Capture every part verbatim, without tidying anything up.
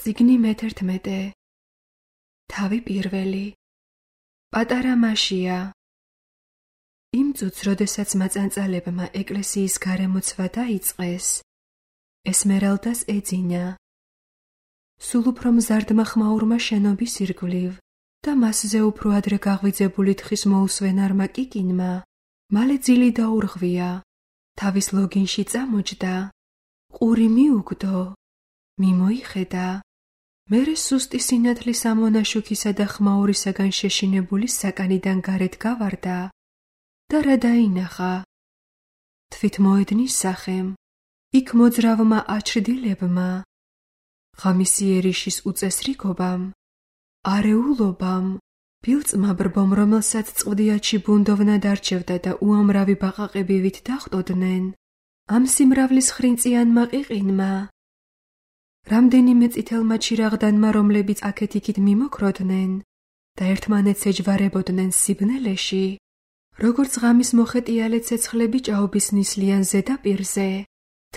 წიგნი მეთერთმეტე. თავი პირველი. პატარა მაშია. იმ წუთს, როდესაც მაწანწალებმა ეკლესიის გარემოცვა დაიწყეს, ესმერალდას ეძინა. სულ უფრო მზარდმა ხმაურმა შენობის ირგვლივ და მასზე უფრო ადრე გაღვიძებული თხის მოუსვენარმა კიკინმა მალე ძილი დაურღვია, თავის ლოგინში წამოჯდა, ყური მიუგდო, მიმოიხედა, მერე სუსტი სინათლის ამონაშუქისა და ხმაურისაგან შეშინებული საკანიდან გარეთ გავარდა და რა დაინახა? თვით მოედნის სახემ, იქ მოძრავმა აჩრდილებმა, ღამისიერიშის უწესრიგობამ, არეულობამ, ბილწმაბრბომ, რომელსაც წყვდიათში ბუნდოვნა დარჩევდა და უამრავი ბაყაყები ვით დახვდოდნენ, ამ სიმრავლის ხრინწიანმა ყიყინმა, რამდენიმე წითელმა ჩირაღდანმა, რომლებიც აქეთ-იქით მიმოქროდნენ და ერთმანეთს ეჯვარებოდნენ სიბნელეში, როგორც ღამის მოხეტიალე ცეცხლები ჭაობის ნისლიან ზედაპირზე,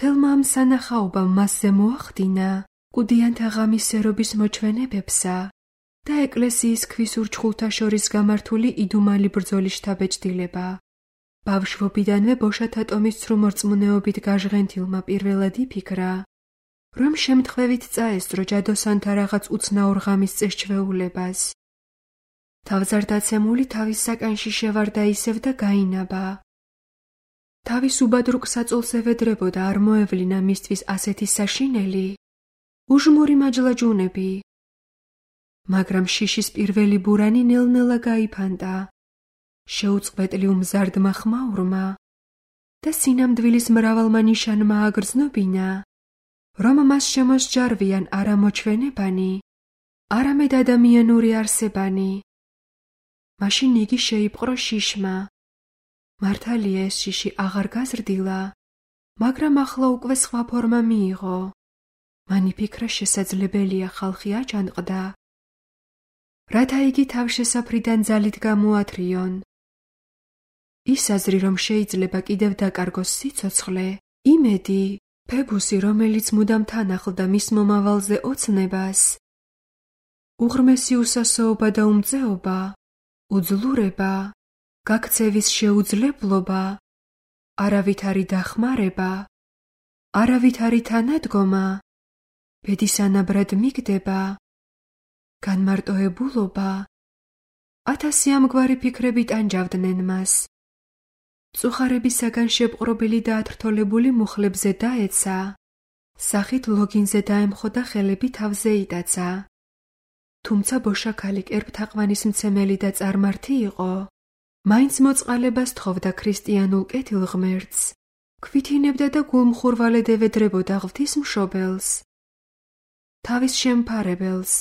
თელმა ამ სანახაობამ მასზე მოახდინა კუდიანთა ღამისერობის მოჩვენებებსა და ეკლესიის ქვის ურჩხულთა შორის გამართული იდუმალი ბრძოლის შთაბეჭდილება. ბავშვობიდანვე ბოშათა ტომის ცრუმორწმუნეობით გაჟღენთილმა პირველად იფიქრა, რომ შემთხვევით წაესწრო ჯადოსანთა რაღაც უცნაურ ღამის წესჩვეულებას. თავზარდაცემული თავის საკანში შევარდა ისევ და გაინაბა. თავის უბადრუკ საწოლს ევედრებოდა არ მოევლინა მისთვის ასეთი საშინელი, უჟმური მაჯლაჯუნები. მაგრამ შიშის პირველი ბურანი ნელ-ნელა გაიფანტა, შეუწყვეტლი უმზარდმა ხმაურმა და სინამდვილის მრავალმა ნიშანმა აგრძნობინა, რომ მას შემოსჯარვიან არა მოჩვენებანი, არამედ ადამიანური არსებანი. მაშინ იგი შეიპყრო შიშმა. მართალია ეს შიში აღარ გაზრდილა, მაგრამ ახლა უკვე სხვა ფორმა მიიღო. მან იფიქრა, შესაძლებელია ხალხი აჯანყდა, რათა იგი თავშესაფრიდან ძალით გამოათრიონ. ის აზრი, რომ შეიძლება კიდევ დაკარგოს სიცოცხლე, იმედი, ფებუსი, რომელიც მუდამ თან ახლდა მის მომავალზე ოცნებას, უღრმესი უსასოობა და უმწეობა, უძლურება, გაქცევის შეუძლებლობა, არავითარი დახმარება, არავითარი თანადგომა, ბედისანაბრად მიგდება, განმარტოებულობა, ათასი ამგვარი ფიქრები ტანჯავდნენ მას. წუხარებისაგან შეპყრობილი და ათრთოლებული მუხლებზე დაეცა, სახით ლოგინზე დაემხო და ხელები თავზე იტაცა. თუმცა ბოშა ქალი კერპთაყვანის მცემელი და წარმართი იყო, მაინც მოწყალებას თხოვდა ქრისტიანულ კეთილღმერთს, ქვითინებდა და გულმხურვალედ ევედრებოდა ღვთისმშობელს, თავის შემფარებელს,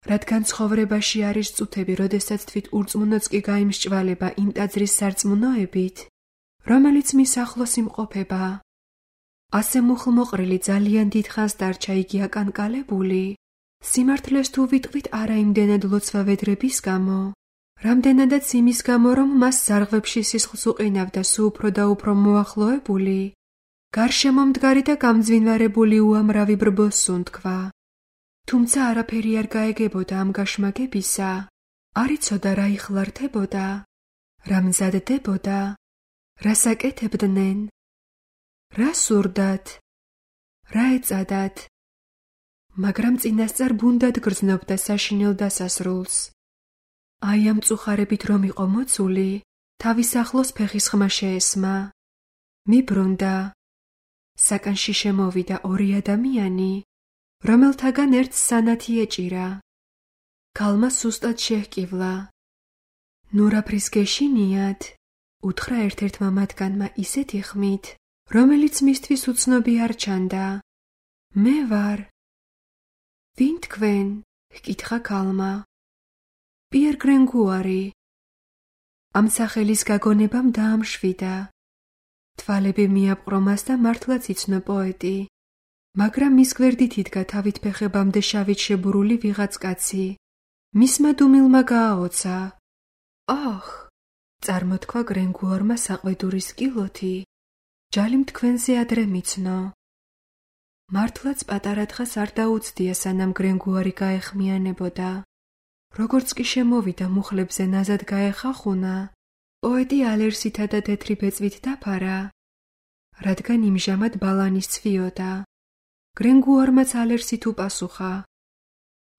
რადგან ცხოვრებაში არის წუთები, როდესაც თვით ურწმუნოც კი გაიმსჭვალება იმ ტაძრის სარწმუნოებით, რომელიც მის ახლოს იმყოფება. ასე მუხლმოყრილი ძალიან დიდხანს დარჩა იგი აკანკალებული, სიმართლეს თუ ვიტყვით არა იმდენად ლოცვა ვედრების გამო, რამდენადაც იმის გამო, რომ მას ზარღვებში სისხლს უყინავდა სულ უფრო და უფრო მოახლოებული, გარშემო მდგარი და გამძვინვარებული უამრავი ბრბოს სუნთქვა. თუმცა არაფერი არ გაეგებოდა ამ გაშმაგებისა, არ იცოდა რა იხლართებოდა, რა მზადდებოდა, რა საკეთებდნენ, რა სურდათ, რა ეწადათ, მაგრამ წინასწარ ბუნდად გრძნობდა საშინელ დასასრულს. აი ამ წუხარებით რომ იყო მოცული, თავის ახლოს ფეხის ხმა შეესმა. მიბრუნდა. საკანში შემოვიდა ორი ადამიანი, რომელთაგან ერთს სანათი ეჭირა. ქალმა სუსტად შეჰკივლა. ნურაფრის გეშინიათ, უთხრა ერთ-ერთმა მათგანმა ისეთი ხმით, რომელიც მისთვის უცნობი არ ჩანდა. მე ვარ. ვინ თქვენ? ჰკითხა ქალმა. პიერ გრენგუარი. ამ სახელის გაგონებამ დაამშვიდა. თვალები მიაპყრო მას და მართლაც იცნო პოეტი. მაგრამ მის გვერდით იდგა თავით ფეხებამდე შავით შებურული ვიღაც კაცი. მისმა დუმილმა გააოცა. აჰ! წარმოთქვა გრენგუარმა საყვედურის კილოთი. ჯალიმ თქვენზე ადრე მიცნო. მართლაც პატარა თხას არ დაუცდია, სანამ გრენგუარი გაეხმიანებოდა. როგორც კი შემოვიდა მუხლებზე ნაზად გაეხახუნა, პოეტი ალერსითა და თეთრი ბეწვით დაფარა, რადგან იმჟამად ბალანის ცვიოდა. გრენგუარმაც ალერსით უპასუხა: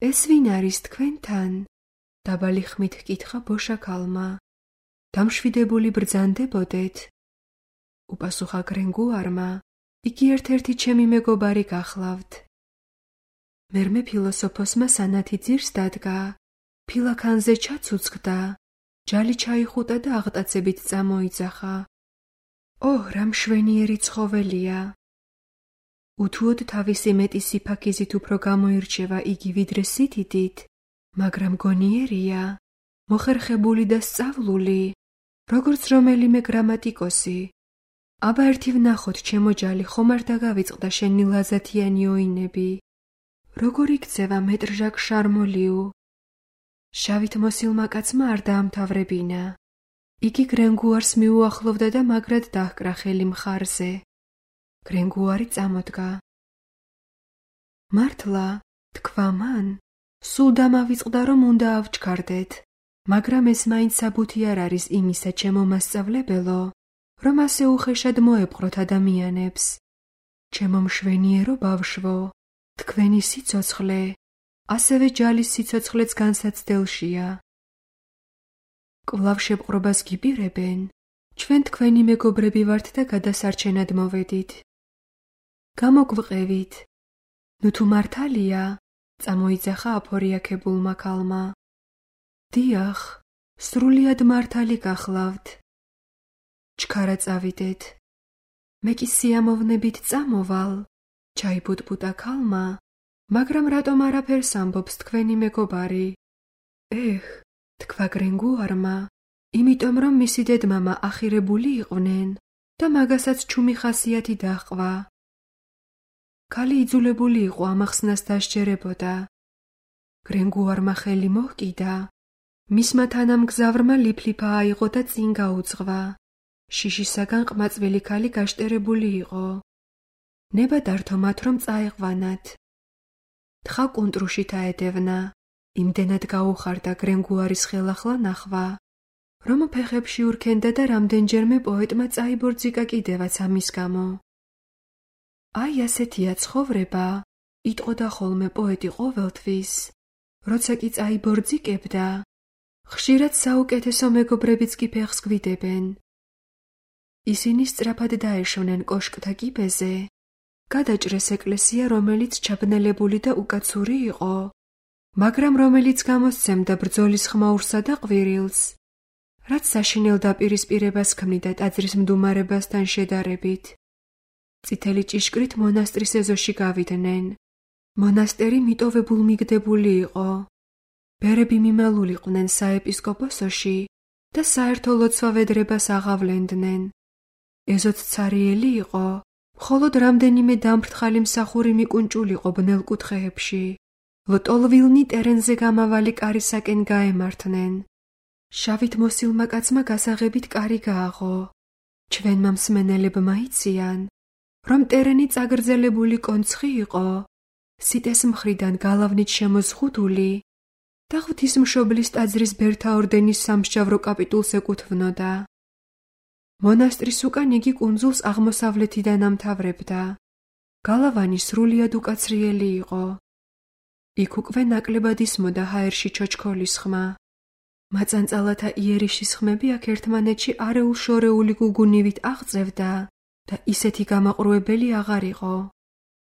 ეს ვინ არის თქვენთან? დაბალი ხმით ჰკითხა ბოშაქალმა. დამშვიდებული ბრძანდებოდეთ? უპასუხა გრენგუარმა: იგი ერთ-ერთი ჩემი მეგობარი გახლავთ. მერმე ფილოსოფოსმა სანათი ძირს დადგა, ფილაქანზე ჩაცუცქდა, ჯალი ჩაიხუტა და აღტაცებით წამოიძახა. ო, რა მშვენიერი ცხოველია! უთუოდ თავისი მეტი სიფაქიზით უფრო გამოირჩევა იგი ვიდრე სითითით, მაგრამ გონიერია, მოხერხებული და სწავლული, როგორც რომელიმე გრამატიკოსი. აბა ერთი ვნახოთ, ჩემო ჯალი, ხომ არ დაგავიწყდა შენი ლაზათიანი ოინები. როგორ იქცევა მეტრ-ჟაკ შარმოლიუ? შავით მოსილმა კაცმა არ დაამთავრებინა. იგი გრენგუარს მიუახლოვდა და მაგრად დაჰკრა ხელი მხარზე. გრენგუარი წამოდგა. მართლა, თქვა მან, სულ დამავიწყდა, რომ უნდა ავჩქარდეთ, მაგრამ ეს მაინც საბუთი არ არის იმისა, ჩემო მასწავლებელო, რომ ასე უხეშად მოეპყროთ ადამიანებს. ჩემო მშვენიერო ბავშვო, თქვენი სიცოცხლე, ასევე ჯალის სიცოცხლეც განსაცდელშია. კვლავ შეპყრობას გიბირებენ, ჩვენ თქვენი მეგობრები ვართ და გადასარჩენად მოვედით. გამოგვყევით. ნუ თუ მართალია, წამოიძახა აფორიაქებულმა ქალმა. დიახ, სრულიად მართალი გახლავთ. ჩქარა წავიდეთ. მე კი სიამოვნებით წამოვალ, ჩაიბუტბუტა ქალმა, მაგრამ რატომ არაფერს ამბობს თქვენი მეგობარი? ეხ, თქვა გრენგუარმა, იმიტომ რომ მისი დედმამა ახირებული იყვნენ და მაგასაც ჩუმი ხასიათი დაჰყვა. ქალი იძულებული იყო ამახსნას დასჯერებოდა. გრენგუარმა ხელი მოჰკიდა, მისმა თანამგზავრმა ლიფლიფა აიღო და წინ გაუძღვა. შიშისაგან ყმაწვილი ქალი გაშტერებული იყო. ნება დართო მათ, რომ წაეყვანათ. თხა კუნტრუშით აედევნა, იმდენად გაუხარდა გრენგუარის ხელახლა ნახვა, რომ ფეხებში ურქენდა და რამდენჯერმე პოეტმა წაიბორძიკა კიდევაც ამის გამო. აი ასეთია ცხოვრება, იტყოდა ხოლმე პოეტი ყოველთვის, როცა კი წაიბორძიკებდა, ხშირად საუკეთესო მეგობრებიც კი ფეხს გვიდებენ. ისინი სწრაფად დაეშონენ კოშკთა კიბეზე, გადაჭრეს ეკლესია, რომელიც ჩაბნელებული და უკაცური იყო, მაგრამ რომელიც გამოსცემდა ბრძოლის ხმაურსა და ყვირილს, რაც საშინელ დაპირისპირებას ქმნიდა ტაძრის მდუმარებასთან შედარებით. წითელი ჭიშკრით მონასტრის ეზოში გავიდნენ. მონასტერი მიტოვებულ მიგდებული იყო. ბერები მიმალულიყვნენ საეპისკოპოსოში და საერთო ლოცვა-ვედრებას აღავლენდნენ. ეზოც ცარიელი იყო, მხოლოდ რამდენიმე დამფრთხალი მსახური მიკუნჭულიყო ბნელ კუთხეებში. ლტოლვილნი ტერენზე გამავალი კარისაკენ გაემართნენ. შავით მოსილმა კაცმა გასაღებით კარი გააღო. ჩვენმა მსმენელებმა იციან, რომ ტერენი წაგრძელებული კონცხი იყო, სიტეს მხრიდან გალავნით შემოზღუდული და ღვთისმშობლის ტაძრის ბერთა ორდენის სამსჯავრო კაპიტულს ეკუთვნოდა. მონასტრის უკან იგი კუნძულს აღმოსავლეთიდან ამთავრებდა. გალავანი სრულიად უკაცრიელი იყო. იქ უკვე ნაკლებად ისმოდა ჰაერში ჩოჩქოლის ხმა. მაწანწალათა იერიშის ხმები აქ ერთმანეთში არეულ-შორეული გუგუნივით აღწევდა და ისეთი გამაყრუებელი აღარ იყო.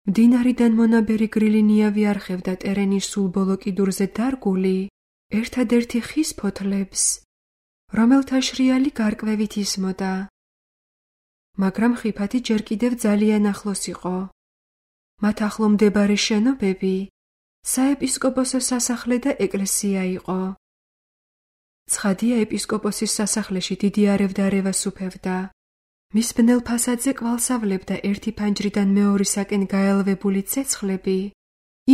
მდინარიდან მონაბერი გრილი ნიავი არხევდა ტერენის სულ ბოლო კიდურზე დარგული ერთადერთი ხის ფოთლებს, რომელთა შრიალი გარკვევით ისმოდა. მაგრამ ხიფათი ჯერ კიდევ ძალიან ახლოს იყო. მათ ახლო მდებარე შენობები საეპისკოპოსოს სასახლე და ეკლესია იყო. ცხადია, ეპისკოპოსის სასახლეში დიდი არევდარევას უფევდა. მის ბნელ ფასადზე კვალსავლებდა ერთი ფანჯრიდან მეორისაკენ გაელვებული ცეცხლები,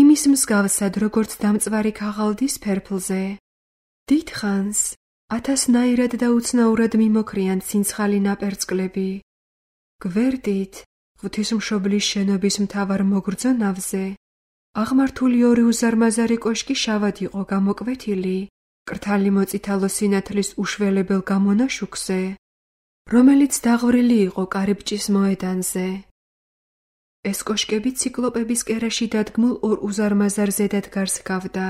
იმის მსგავსად, როგორც დამწვარი ქაღალდის ფერფლზე. დიდხანს ათასნაირად და უცნაურად მიმოქრიან ცინცხალი ნაპერწკლები. გვერდით, ღვთისმშობლის შენობის მთავარ მოგრძონავზე აღმართული ორი უზარმაზარი კოშკი შავად იყო გამოკვეთილი კრთალი მოწითალო სინათლის უშველებელ გამონაშუქზე, რომელიც დაღვრილი იყო კარიბჭის მოედანზე. ეს კოშკები ციკლოპების კერაში დადგმულ ორ უზარმაზარ ზედადგარს ჰგავდა.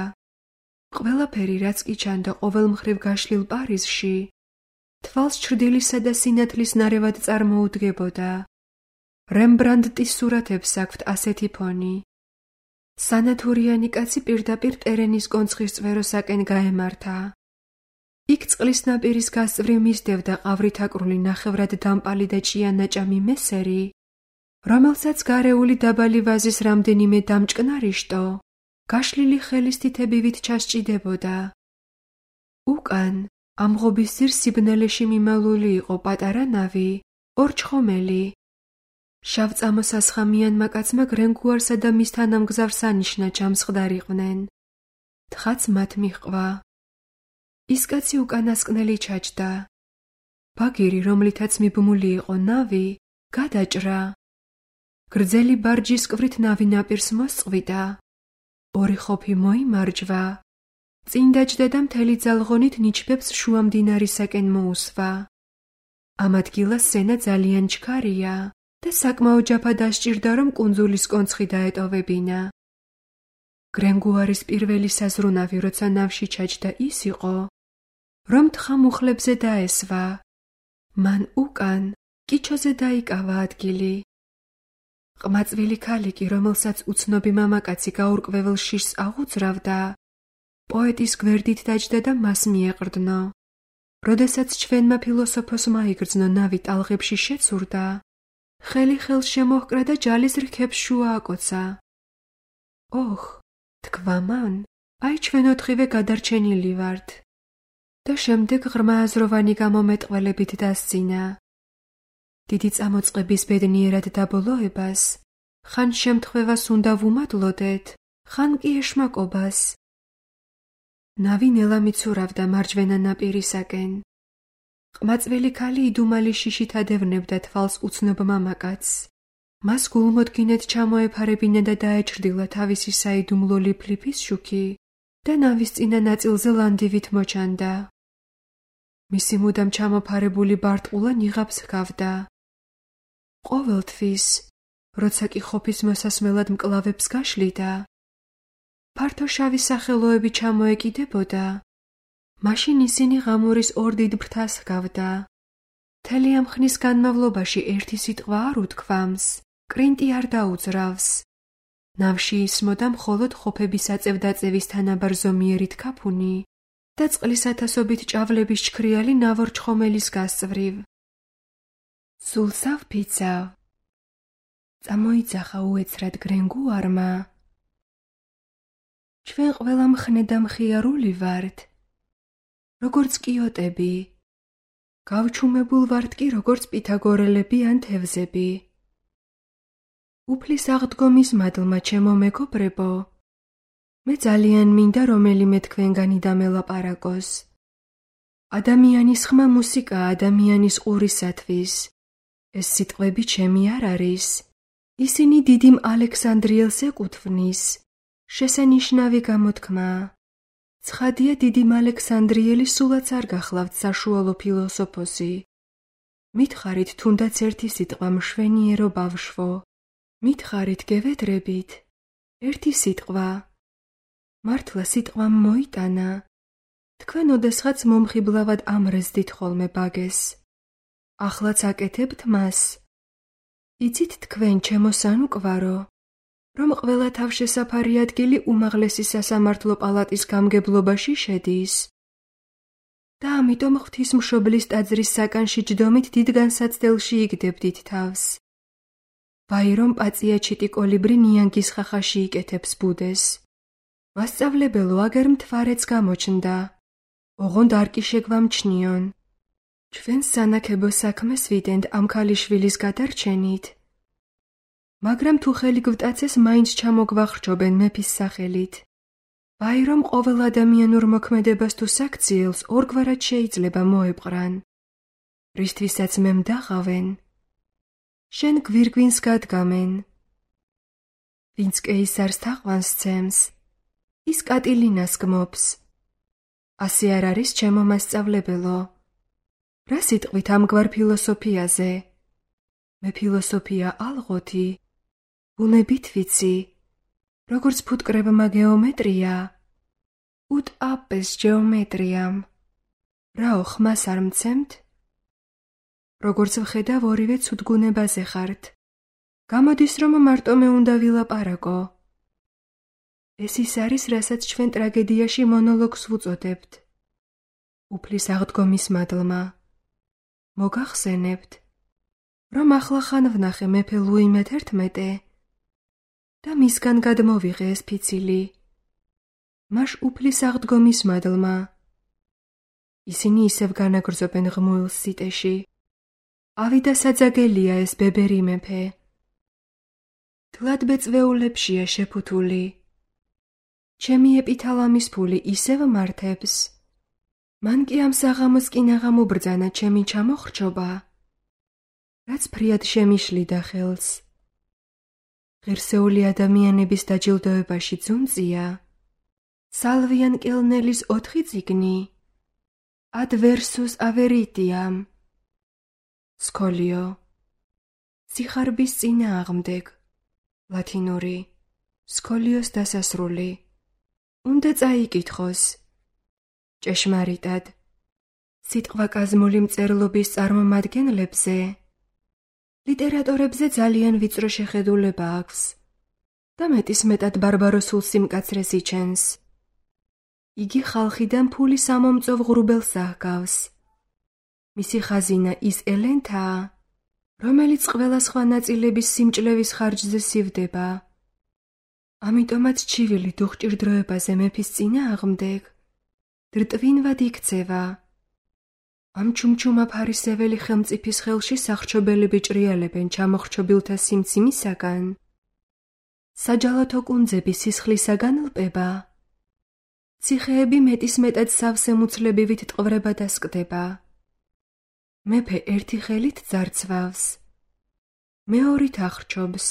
ყველაფერი, რაც კი ჩანდა ყოველ მხრივ გაშლილ პარიზში, თვალს ჩრდილისა და სინათლის ნარევად წარმოუდგებოდა. რემბრანდტის სურათებს აქვთ ასეთი ფონი. სანათურიანი კაცი პირდაპირ ტერენის კონცხის წვეროსაკენ გაემართა. იქ წყლის ნაპირის გასწვრივ მისდევდა ყავრითაკრული ნახევრად დამპალი და ჭიანაჭამი მესერი, რომელსაც გარეული დაბალი ვაზის რამდენიმე დამჭკნარი შტო გაშლილი ხელის თითებივით ჩასჭიდებოდა. უკან ამღობის ძირს სიბნელეში მიმავლული იყო პატარა ნავი, ორჩხომელი. შავწამოსასხამიანმა კაცმა გრენგუარსა და მის თანამგზავრს ანიშნა ჯამსხდარიყვნენ. თხაც მათ მიჰყვა. ის კაცი უკანასკნელი ჩაჯდა. ბაგირი, რომლითაც მიბმული იყო ნავი, გადაჭრა. გრძელი ბარჯის კვრით ნავი ნაპირს მოსწყვიტა. ორი ხოფი მოიმარჯვა. წინ დაჯდა და მთელი ძალღონით ნიჩბებს შუამდინარისაკენ მოუსვა. ამ ადგილას სენა ძალიან ჩქარია და საკმაო ჯაფა დასჭირდა, რომ კუნძულის კონცხი დაეტოვებინა. გრენგუარის პირველი საზრუნავი, როცა ნავში ჩაჯდა, ის იყო, რომ თხა მუხლებზე დაესვა. მან უკან კიჩოზე დაიკავა ადგილი. ყმაწვილი ქალიკი, რომელსაც უცნობი მამაკაცი გაურკვეველ შიშს აღუძრავდა, პოეტის გვერდით დაჯდა და მას მიეყრდნო. როდესაც ჩვენმა ფილოსოფოსმა იგრძნო ნავი ტალღებში შეცურდა, ხელი ხელს შემოჰკრა და ჯალის რქებს შუა აკოცა. ოხ, თქვა მან, აი ჩვენ ოთხივე გადარჩენილი ვართ. და შემდეგ ღრმა აზროვანი გამომეტყველებით დასძინა. დიდი წამოწყების ბედნიერად დაბოლოებას, ხან შემთხვევას უნდა ვუმადლოდეთ, ხან კი ეშმაკობას. ნავი ნელა მიცურავდა მარჯვენა ნაპირისაკენ. ყმაწვილი ქალი იდუმალი შიშით ადევნებდა თვალს უცნობ მამაკაცს. მას გულმოდგინედ ჩამოეფარებინა და დაეჭრდილა თავისი საიდუმლო ლიფლიფის შუქი და ნავის წინა ნაწილზე ლანდივით მოჩანდა. მისი მუდამ ჩამოფარებული ბარტყულა ნიღაბს ჰგავდა. ყოველთვის, როცა კი ხოფის მოსასმელად მკლავებს გაშლიდა, ფართო შავი სახელოები ჩამოეკიდებოდა, მაშინ ისინი ღამურის ორ დიდ ფრთას ჰგავდა. მთელი ამ ხნის განმავლობაში ერთი სიტყვა არ უთქვამს, კრინტი არ დაუძრავს. ნავში ისმოდა მხოლოდ ხოფების აწევდაწევის თანაბარ ზომიერი თქაფუნი და წყლის ათასობით ჭავლების ჩქრიალი ნავორჩხომელის გასწვრივ. სულ სავფიცავ. წამოიძახა უეცრად გრენგუარმა. ჩვენ ყველა მხნე და მხიარული ვართ, როგორც კიოტები. გავჩუმებულ ვართ კი როგორც პითაგორელები ან თევზები. უფლის აღდგომის მადლმა, ჩემო მეგობრებო, მე ძალიან მინდა რომელიმე თქვენგანი დამელაპარაკოს. ადამიანის ხმა მუსიკაა ადამიანის ყურისათვის. ეს სიტყვები ჩემი არ არის. ისინი დიდიმ ალექსანდრიელს ეკუთვნის. შესანიშნავი გამოთქმაა. ცხადია, დიდიმ ალექსანდრიელი სულაც არ გახლავთ საშუალო ფილოსოფოსი. მითხარით თუნდაც ერთი სიტყვა მშვენიერო ბავშვო. მითხარით გევედრებით. ერთი სიტყვა. მართლა სიტყვამ მოიტანა. თქვენ ოდესღაც მომხიბლავად ამრეздით ხოლმე ბაგეს. ახლაც აკეთებთ მას. იცით თქვენ, ჩემო სანუკვარო, რომ ყველა თავშესაფარი ადგილი უმაღლესი სასამართლო პალატის გამგებლობაში შედის. და ამიტომ ღვთისმშობლის ტაძრის საკანში ჯდომით დიდ განსაცდელში იგდებდით თავს. ვაი რომ პაწიაჩიტი კოლიბრი ნიანგის ხახაში იკეთებს ბუდეს. მასწავლებელო, აგერ მთვარეც გამოჩნდა. ოღონდ არ კი შეგვამჩნიონ. ჩვენ სანაკებო საქმეს ვიდენთ ამ ქალიშვილის გადარჩენით. მაგრამ თუ ხელი გვტაცეს, მაინც ჩამოგვახრჩობენ მეფის სახელით. ვაი რომ ყოველ ადამიანურ მოქმედებას თუ საქციელს ორგვარად შეიძლება მოეპყრან. რისთვისაც მე მდაღავენ. შენ გვირგვინს გადგამენ. ვინც კეისარს თაყვანს ცემს, ის კატილინას გმობს. ასე არ არის ჩემო მასწავლებელო. რა სიტყვით ამგვარ ფილოსოფიაზე? მე ფილოსოფია ალღოთი, ბუნებით ვიცი, როგორც ფუტკრებმა გეომეტრია, უტ აპეს ჯეომეტრიამ. რაო ხმას არ მცემთ? როგორც ვხედავ, ორივე ცუდგუნებაზე ხართ. გამოდის, რომ მარტო მე უნდა ვილაპარაკო. ეს ის არის, რასაც ჩვენ ტრაგედიაში მონოლოგს ვუწოდებთ. უფლის აღდგომის მადლმა. მოგახსენებთ, რომ ახლახან ვნახე მეფე ლუი მეთერთმეტე და მისგან გადმოვიღე ეს ფიცილი. მაშ უფლის აღდგომის მადლმა. ისინი ისევ განაგრძობენ ღმუილს სიტეში. ავიდა საძაგელია ეს ბებერი მეფე. თლადბეწვეულებშია შეფუთული. ჩემი ეპითალამის ფული ისევ მართებს. მან კი ამ საღამოს კინაღამ უბრძანა ჩემი ჩამოხრჩობა, რაც ფრიად შემიშლიდა ხელს. ღირსეული ადამიანების დაჯილდოებაში ძუნწია სალვიან კელნელის ოთხი წიგნი adversus averitiam. სკოლიო. სიხარბის წინააღმდეგ. ლათინური. სკოლიოს დასასრული. უნდა წაიკითხოს. ჭეშმარიტად. სიტყვა კაზმული მწერლობის წარმომადგენლებზე, ლიტერატორებზე ძალიან ვიწრო შეხედულება აქვს და მეტისმეტად ბარბაროსულ სიმკაცრეს იჩენს. იგი ხალხიდან ფულის ამომწევ ღრუბელს აჰგავს. მისი ხაზინა ის ელენთაა, რომელიც ყველა სხვა ნაწილების სიმჭლევის ხარჯზე სივდება. ამიტომაც ჩივილი დუხჭირდროებაზე მეფის წინააღმდეგ დრტვინვად იქცევა. ამ ჩუმჩუმა ფარისეველი ხელმწიფის ხელში სახრჩობელები ჭრიალებენ ჩამოხრჩობილთა სიმც იმისაგან, საჯალათო კუნძები სისხლისაგან ლპება. ციხეები მეტისმეტად სავსე მუცლებივით ტყვრება და სკდება. მეფე ერთი ხელით ძარცვავს, მეორით ახრჩობს.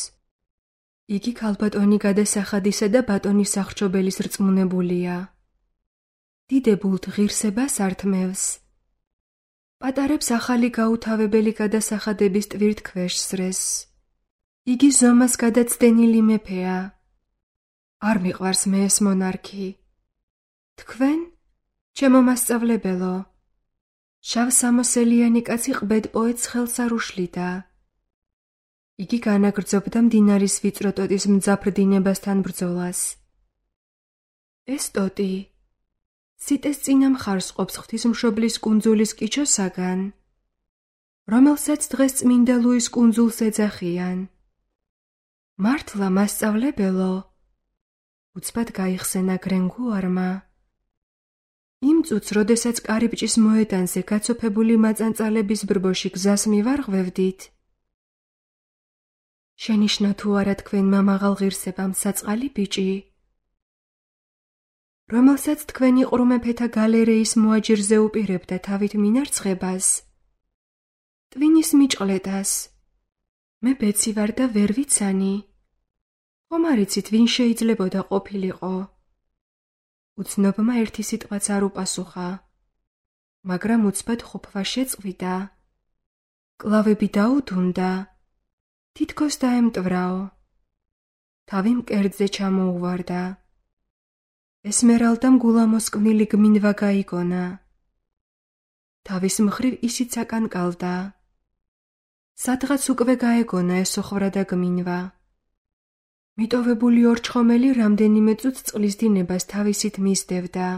იგი ქალბატონი გადასახადისა და ბატონის სახრჩობელის რწმუნებულია. დიდებულთ ღირსებას ართმევს. პატარებს ახალი გაუთავებელი გადასახადების ტვირთქვეშ სრეს. იგი ზომას გადაცდენილი მეფეა. არ მიყვარს მე ეს მონარქი. თქვენ, ჩემო მასწავლებელო, შავსამოსელიანი კაცი ყბედ პოეტს ხელს არ უშლიდა. იგი განაგრძობდა მდინარის ვიწრო ტოტის მძაფრ დინებასთან ბრძოლას. ეს ტოტი სიტეს წინა მხარს ყოფს ღვთისმშობლის კუნძულის კიჩოსაგან, რომელსაც დღეს წმინდა ლუის კუნძულს ეძახიან. მართლა მასწავლებელო, უცბად გაიხსენა გრენგუარმა. იმ წუთს, როდესაც კარიბჭის მოედანზე გაცოფებული მაწანწალების ბრბოში გზას მივარღვევდით, შენიშნა თუ არა თქვენმა მაღალ ღირსებამ საწყალი ბიჭი, რომელსაც თქვენი ყრუმეფეთა გალერეის მოაჯირზე უპირებდა თავით მინარცხებას, ტვინის მიჭყლეტას. მე ბეცი ვარ და ვერ ვიცანი. ხომ არ იცით, ვინ შეიძლებოდა ყოფილიყო? უცნობმა ერთი სიტყვაც არ უპასუხა, მაგრამ უცბად ხუფვა შეწყვიტა. კლავები დაუდუნდა, თითქოს დაემტვრაო. თავი მკერდზე ჩამოუვარდა. ესმერალდამ გულამოსკვნილი გმინვა გაიგონა. თავის მხრივ ისიც აკანკალდა. სადღაც უკვე გაეგონა ესოხრა და გმინვა. მიტოვებული ორჩხომელი რამდენიმე წუთს წყლის დინებას თავისით მისდევდა.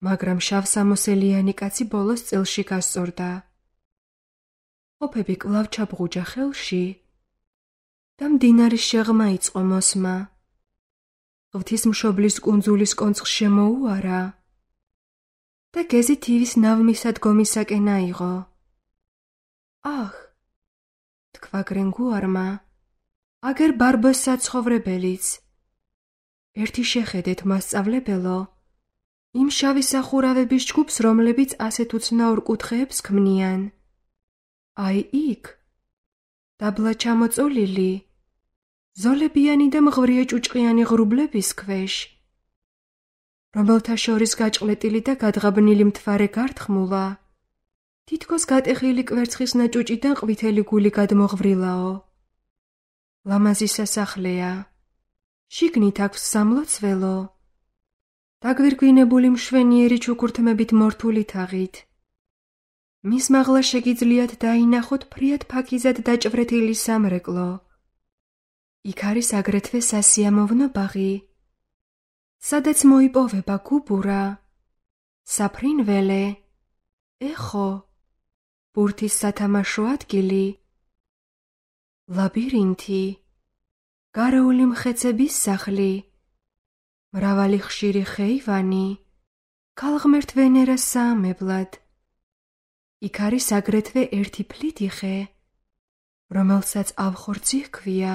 მაგრამ შავსამოსელიანი კაცი ბოლოს წელში გასწორდა. ყოფები კვლავ ჩაბღუჯა ხელში და მდინარის შეღმა იწყო მოსმა. ღვთისმშობლის კუნძულის კონცხს შემოუარა და გეზი თივის ნავმისადგომისაკენ აიღო. აჰ, თქვა გრენგუარმა, აგერ ბარბოს საცხოვრებელიც. ერთი შეხედეთ, მასწავლებელო, იმ შავი სახურავების ჯგუფს, რომლებიც ასეთ უცნაურ კუთხეებს ქმნიან. აი იქ, დაბლა ჩამოწოლილი, ზოლებიანი და მღვრია ჭუჭყიანი ღრუბლების ქვეშ, რომელთა შორის გაჭყლეტილი და გადღაბნილი მთვარე გართხმულა, თითქოს გატეხილი კვერცხის ნაჭუჭიდან ყვითელი გული გადმოღვრილაო. ლამაზი სასახლეა, შიგნით აქვს სამლოცველო, დაგვირგვინებული მშვენიერი ჩუქურთმებით მორთული თაღით. მის მაღლა შეგიძლიათ დაინახოთ ფრიად ფაქიზად დაჭვრეთილი სამრეკლო. იქ არის აგრეთვე სასიამოვნო ბაღი, სადაც მოიპოვება გუბურა, საფრინველე, ეხო, ბურთის სათამაშო ადგილი, ლაბირინთი, გარეული მხეცების სახლი, მრავალი ხშირი ხეივანი, ქალღმერთ ვენერას საამებლად. იქ არის აგრეთვე ერთი ფლითი ხე, რომელსაც ავხორცი ჰქვია,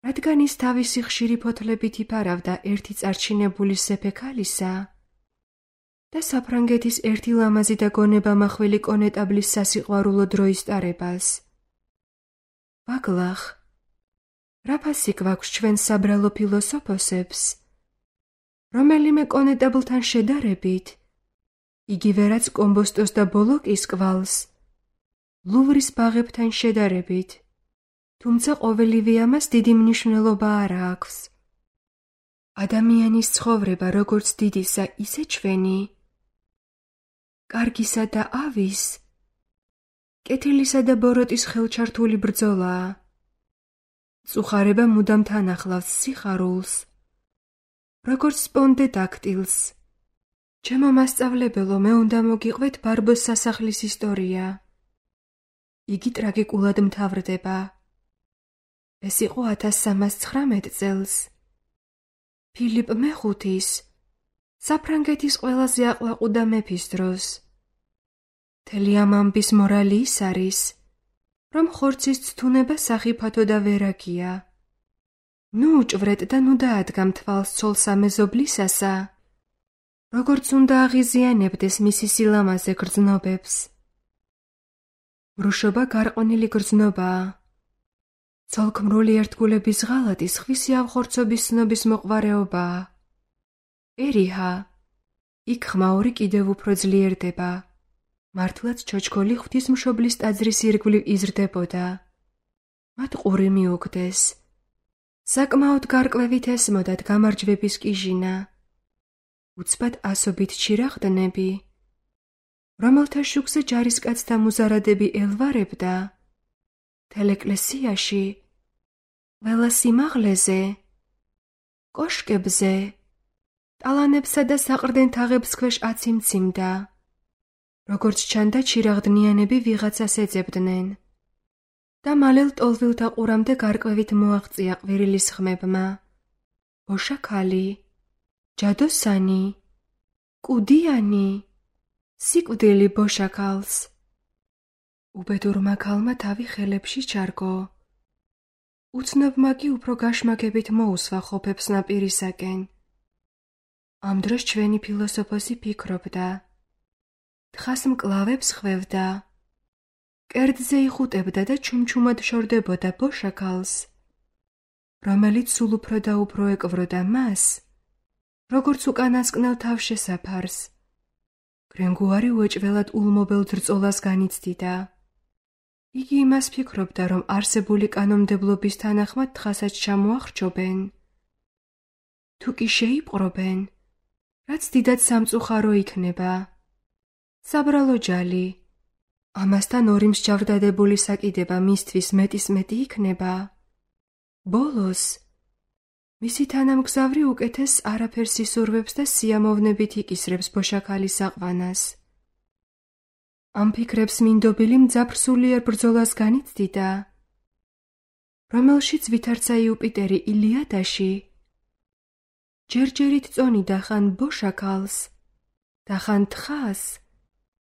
რადგან ის თავისი ხშირი ფოთლებით იფარავდა ერთი წარჩინებული სეფე ქალისა და საფრანგეთის ერთი ლამაზი და გონებამახვილი კონეტაბლის სასიყვარულო დროის ტარებას. ბაგლახ, რა ფასი გვაქვს ჩვენ საბრალო ფილოსოფოსებს, რომელიმე კონეტაბლთან შედარებით, იგივე რაც კომბოსტოს და ბოლოკის კვალს, ლუვრის ბაღებთან შედარებით, თუმცა ყოველივე ამას დიდი მნიშვნელობა არ აქვს. ადამიანის ცხოვრება როგორც დიდისა, ისე ჩვენი, კარგისა და ავის, კეთილისა და ბოროტის ხელჩართული ბრძოლაა. წუხარება მუდამ თან ახლავს სიხარულს, როგორც სპონდედაქტილს. ჩემო მასწავლებელო, მე უნდა მოგიყვეთ ბარბოს სასახლის ისტორია. იგი ტრაგიკულად მთავრდება. ეს იყო ათას სამას ცხრამეტ წელს. ფილიპ მეხუთის, საფრანგეთის ყველაზე აყლაყუდა მეფის დროს. მთელი ამ ამბის მორალი ის არის, რომ ხორცის ცთუნება სახიფათო და ვერაგია. ნუ უჭვრეთ და ნუ დაადგამ თვალს ცოლსა მეზობლისასა, როგორც უნდა აღიზიანებდეს მისი სილამაზე გრძნობებს. მრუშობა გარყვნილი გრძნობაა. ცოლქმრული ერთგულების ღალატი სხვისი ავხორცობის ცნობის მოყვარეობაა. ერიჰა, იქ ხმაური კიდევ უფრო ძლიერდება. მართლაც ჩოჩქოლი ღვთისმშობლის ტაძრის ირგვლივ იზრდებოდა. მათ ყური მიუგდეს. საკმაოდ გარკვევით ესმოდათ გამარჯვების კიჟინა. უცბად ასობით ჩირაღდნები, რომელთა შუქზე ჯარისკაცთა მუზარადები ელვარებდა, თელეკლესიაში, ყველა სიმაღლეზე, კოშკებზე, ტალანებსა და საყრდენ თაღებს ქვეშ აციმციმდა. როგორც ჩანდა, ჩირაღდნიანები ვიღაცას ეძებდნენ და მალე ლტოლვილთა ყურამდე გარკვევით მოაღწია ყვირილის ხმებმა. ბოშაქალი, ჯადოსანი, კუდიანი, სიკვდილი ბოშაქალს. უბედურმა ქალმა თავი ხელებში ჩარგო. უცნობმა კი უფრო გაშმაგებით მოუსვა ხოფებს ნაპირისაკენ. ამ დროს ჩვენი ფილოსოფოსი ფიქრობდა. თხას მკლავებს ხვევდა. კერძზე იხუტებდა და ჩუმჩუმად შორდებოდა ბოშაქალს, რომელიც სულ უფრო და უფრო ეკვროდა მას, როგორც უკანასკნელ თავშესაფარს. გრენგუარი უეჭველად ულმობელ ძრწოლას განიცდიდა. იგი იმას ფიქრობდა, რომ არსებული კანონმდებლობის თანახმად თხასაც ჩამოახრჩობენ. თუ კი შეიპყრობენ, რაც დიდად სამწუხარო იქნება. საბრალო ჯალი, ამასთან ორი მსჯავრდადებული საკიდება მისთვის მეტის მეტი იქნება. ბოლოს, მისი თანამგზავრი უკეთეს არაფერს ისურვებს და სიამოვნებით იკისრებს ბოშაქალის აყვანას. ამ ფიქრებს მინდობილი მძაფრ სულიერ ბრძოლას განიცდიდა, რომელშიც ვითარცა იუპიტერი ილიადაში, ჯერჯერით წონიდა ხან ბოშაქალს და ხან თხას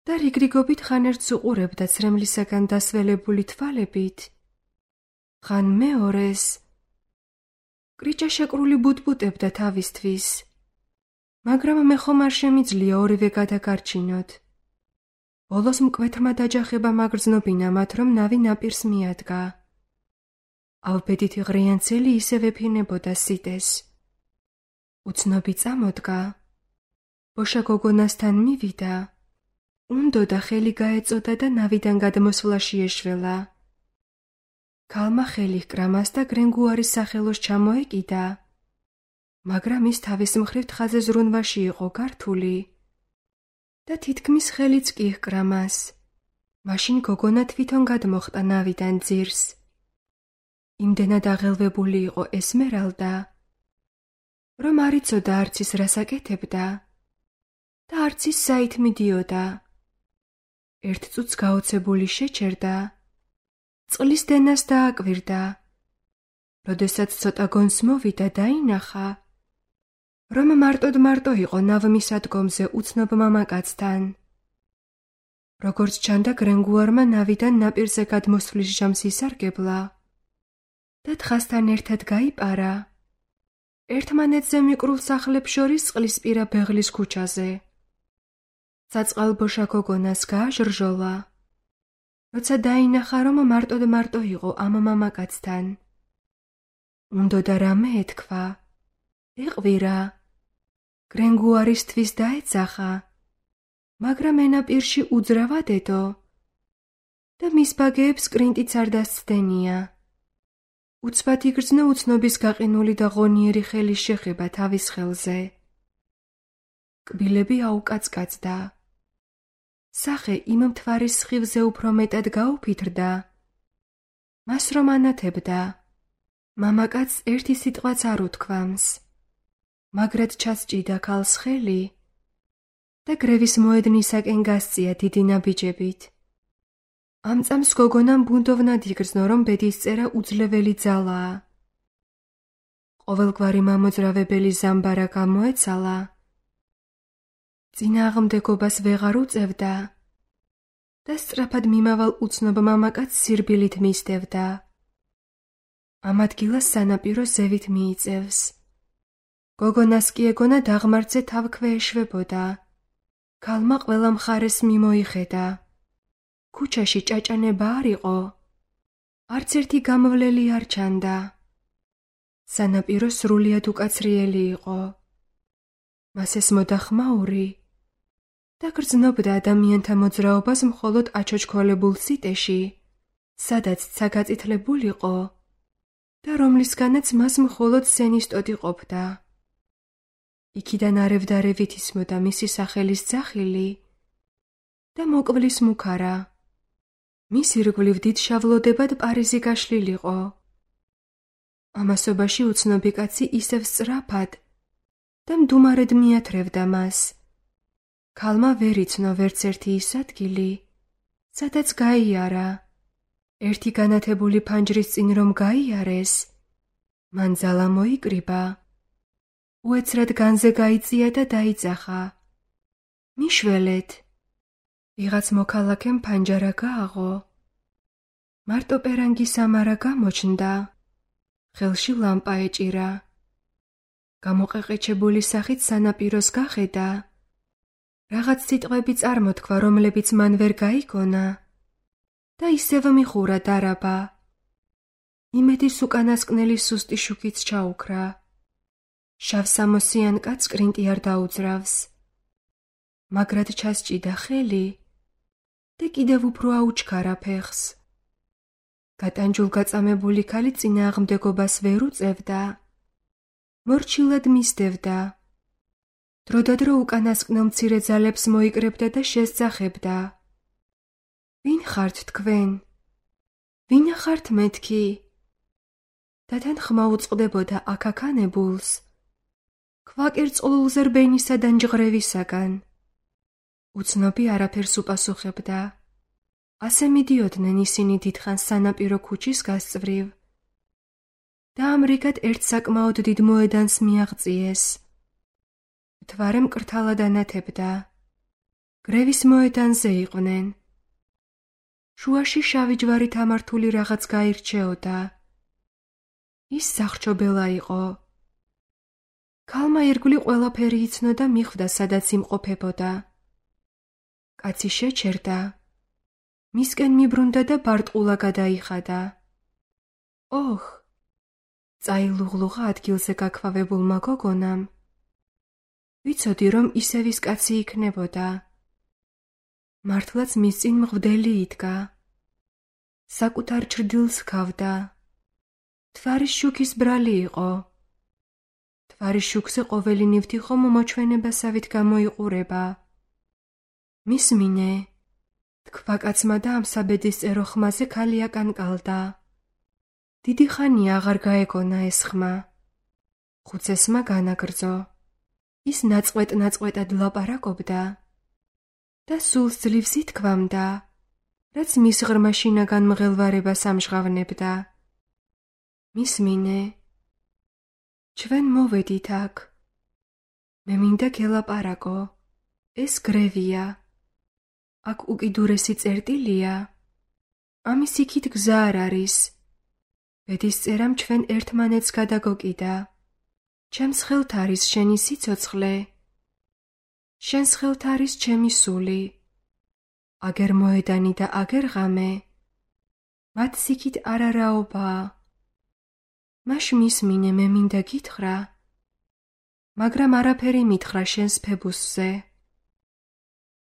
და რიგრიგობით ხან ერთს უყურებდა ცრემლისაგან დასველებული თვალებით, ხან მეორეს კრიჭაშეკრული ბუტბუტებდა თავისთვის, მაგრამ მე ხომ არ შემიძლია ორივე გადაგარჩინოთ. ბოლოს მკვეთრმა დაჯახებამ აგრძნობინა მათ, რომ ნავი ნაპირს მიადგა. ავბედითი ღრიანცელი ისევ ეფინებოდა სიტეს. უცნობი წამოდგა. ბოშა გოგონასთან მივიდა. უნდოდა ხელი გაეწოდა და ნავიდან გადმოსვლაში ეშველა. ქალმა ხელი ჰკრა მას და გრენგუარის სახელოს ჩამოეკიდა, მაგრამ ის თავის მხრივ თხაზე ზრუნვაში იყო გართული და თითქმის ხელიც კი ჰკრა მას. მაშინ გოგონა თვითონ გადმოხტა ნავიდან ძირს. იმდენად აღელვებული იყო ესმერალდა, რომ არ იცოდა არც ის რას აკეთებდა და არც ის საით მიდიოდა. ერთ წუთს გაოცებული შეჩერდა, წყლის დენას დააკვირდა. როდესაც ცოტა გონს მოვიდა, დაინახა, რომ მარტოდ-მარტო იყო ნავმისადგომზე უცნობ მამაკაცთან. როგორც ჩანდა, გრენგუარმა ნავიდან ნაპირზე გადმოსვლის ჟამს ისარგებლა და თხასთან ერთად გაიპარა ერთმანეთზე მიკრულ სახლებს შორის წყლისპირა ბეღლის ქუჩაზე. საწყალბოშა გოგონას გააჟრჟოლა, როცა დაინახა, რომ მარტოდ-მარტო იყო ამ მამაკაცთან. უნდოდა რამე ეთქვა, ეყვირა, გრენგუარისთვის დაეძახა, მაგრამ ენაპირში უძრავად ედო და მის ბაგეებს კრინტიც არ დასცდენია. უცბად იგრძნო უცნობის გაყინული და ღონიერი ხელის შეხება თავის ხელზე. კბილები აუკაცკაცდა. სახე იმ მთვარის სხივზე უფრო მეტად გაუფითრდა. მას რომ ანათებდა, მამაკაცს ერთი სიტყვაც არ უთქვამს, მაგრად ჩასჭიდა ქალს ხელი და გრევის მოედნისაკენ გასწია დიდი ნაბიჯებით. ამ წამს გოგონამ ბუნდოვნად იგრძნო, რომ ბედისწერა უძლეველი ძალაა. ყოველგვარი მამოძრავებელი ზამბარა გამოეცალა. წინააღმდეგობას ვეღარ უწევდა და სწრაფად მიმავალ უცნობ მამაკაცს სირბილით მისდევდა. ამ ადგილას სანაპირო ზევით მიიწევს. გოგონას კი ეგონა დაღმართზე თავქვე ეშვებოდა. ქალმა ყველა მხარეს მიმოიხედა. ქუჩაში ჭაჭანება არ იყო. არც ერთი გამვლელი არ ჩანდა. სანაპირო სრულიად უკაცრიელი იყო. მას ესმოდა ხმაური და გრძნობდა ადამიანთა მოძრაობას მხოლოდ აჩოჩქოლებულ სიტეში, სადაც ცა გაწითლებულიყო და რომლისგანაც მას მხოლოდ სენისტოდი ყოფდა. იქიდან არევდარევით ისმოდა მისი სახელის ძახილი და მოკვლის მუქარა. მის ირგვლივ დიდ შავლოდებად პარიზი გაშლილიყო. ამასობაში უცნობი კაცი ისევ სწრაფად და მდუმარედ მიათრევდა მას. ქალმა ვერ იცნო ვერც ერთი ის ადგილი, სადაც გაიარა. ერთი განათებული ფანჯრის წინ რომ გაიარეს, მან ძალა მოიკრიბა. უეცრად განზე გაიწია და დაიძახა. მიშველეთ! ვიღაც მოქალაქემ ფანჯარა გააღო. მარტო პერანგი სამარა გამოჩნდა. ხელში ლამპა ეჭირა. გამოყეყეჩებული სახით სანაპიროს გახედა. რაღაც სიტყვები წარმოთქვა, რომლებიც მან ვერ გაიგონა და ისევ მიხურა დარაბა. იმედის უკანასკნელი სუსტი შუქიც ჩაუქრა. შავსამოსიან კაცს კრინტი არ დაუძრავს. მაგრად ჩასჭიდა ხელი და კიდევ უფრო აუჩქარა ფეხს. გატანჯულ-გაწამებული ქალი წინააღმდეგობას ვერ უწევდა. მორჩილად მისდევდა. დროდადრო უკანასკნელ მცირე ძალებს მოიკრებდა და შესძახებდა. ვინ ხართ თქვენ? ვინა ხართ მეთქი? და თან ხმა უწყდებოდა აქაქანებულს. ქვაკერწყლულზე რბენისა და ნჯღრევისაგან. უცნობი არაფერს უპასუხებდა. ასე მიდიოდნენ ისინი დიდხანს სანაპირო ქუჩის გასწვრივ და ამრიგად ერთ საკმაოდ დიდ მოედანს მიაღწიეს. მთვარე მკრთალად ანათებდა. გრევის მოედანზე იყვნენ. შუაში შავი ჯვარით ამართული რაღაც გაირჩეოდა. ის სახლჩობელა იყო. ქალმა ირგვლივ ყველაფერი იცნო და მიხვდა, სადაც იმყოფებოდა. კაცი შეჩერდა. მისკენ მიბრუნდა და ბარტყულა გადაიხადა. ოხ! წაილუღლუღა ადგილზე გაქვავებულმა გოგონამ. ვიცოდი, რომ ისევ ის კაცი იქნებოდა. მართლაც მის წინ მღვდელი იდგა. საკუთარ ჩრდილს ჰქავდა. თვარის შუქის ბრალი იყო. თვარის შუქზე ყოველი ნივთი ხომ მოჩვენებასავით გამოიყურება. მისმინე, თქვა კაცმა და ამ საბედისწერო ხმაზე ქალი აკანკალდა. დიდი ხანია აღარ გაეგონა ეს ხმა. ხუცესმა განაგრძო. ის ნაწყვეტ-ნაწყვეტად ლაპარაკობდა და სულს ძლივს ითქვამდა, რაც მის ღრმა შინაგან მღელვარებას ამჟღავნებდა. მისმინე, ჩვენ მოვედით აქ. მე მინდა გელაპარაკო. ეს გრევია. აქ უკიდურესი წერტილია. ამის იქით გზა არ არის. ბედისწერამ ჩვენ ერთმანეთს გადაგოკიდა. ჩემს ხელთ არის შენი სიცოცხლე. შენს ხელთ არის ჩემი სული. აგერ მოედანი და აგერ ღამე. მათ სიქით არარაობაა. მაშ მისმინე, მე მინდა გითხრა, მაგრამ არაფერი მითხრა შენს ფებუსზე.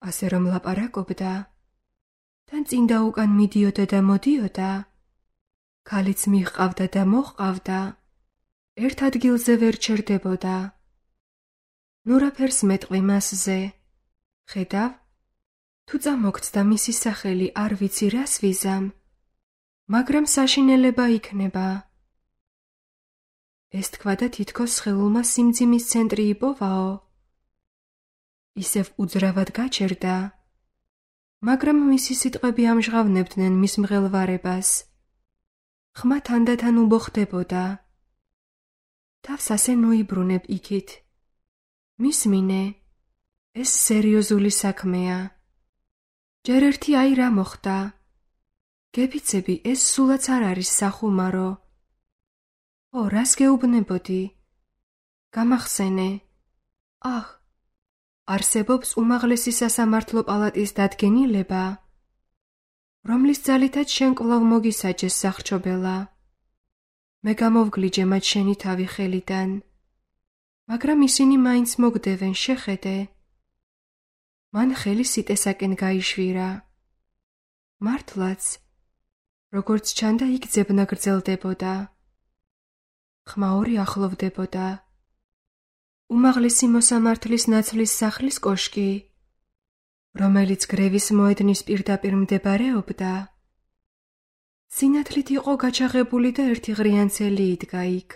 ასე რომ ლაპარაკობდა, თან წინ და უკან მიდიოდა და მოდიოდა, ქალიც მიჰყავდა და მოჰყავდა, ერთ ადგილზე ვერ ჩერდებოდა. ნურაფერს მეტყვი მასზე. ხედავ, თუ წამოგცდა მისი სახელი არ ვიცი რას ვიზამ, მაგრამ საშინელება იქნება. ეს თქვა და თითქოს სხეულმა სიმძიმის ცენტრი იპოვაო. ისევ უძრავად გაჩერდა, მაგრამ მისი სიტყვები ამჟღავნებდნენ მის მღელვარებას. ხმა თანდათან უბოხდებოდა. თავს ასე ნოიბრუნებ იქით. მისმინე, ეს სერიოზული საქმეა. ჯერ ერთი აი რა მოხდა. გეფიცები, ეს სულაც არ არის სახუმარო. ო, რას გეუბნებოდი? გამახსენე. აჰ, არსებობს უმაღლესი სასამართლო პალატის დადგენილება, რომლის ძალითაც შენ კვლავ მოგისაჯეს სახრჩობელა. მე გამოვგლიჯე მათ შენი თავი ხელიდან, მაგრამ ისინი მაინც მოგდევენ, შეხედე. მან ხელი სიტესაკენ გაიშვირა. მართლაც, როგორც ჩანდა, იქ ძებნა გრძელდებოდა. ხმაური ახლოვდებოდა. უმაღლესი მოსამართლის ნაცვლის სახლის კოშკი, რომელიც გრევის მოედნის პირდაპირ მდებარეობდა, სინათლით იყო გაჩაღებული და ერთი ღრიანცელი იდგა იქ.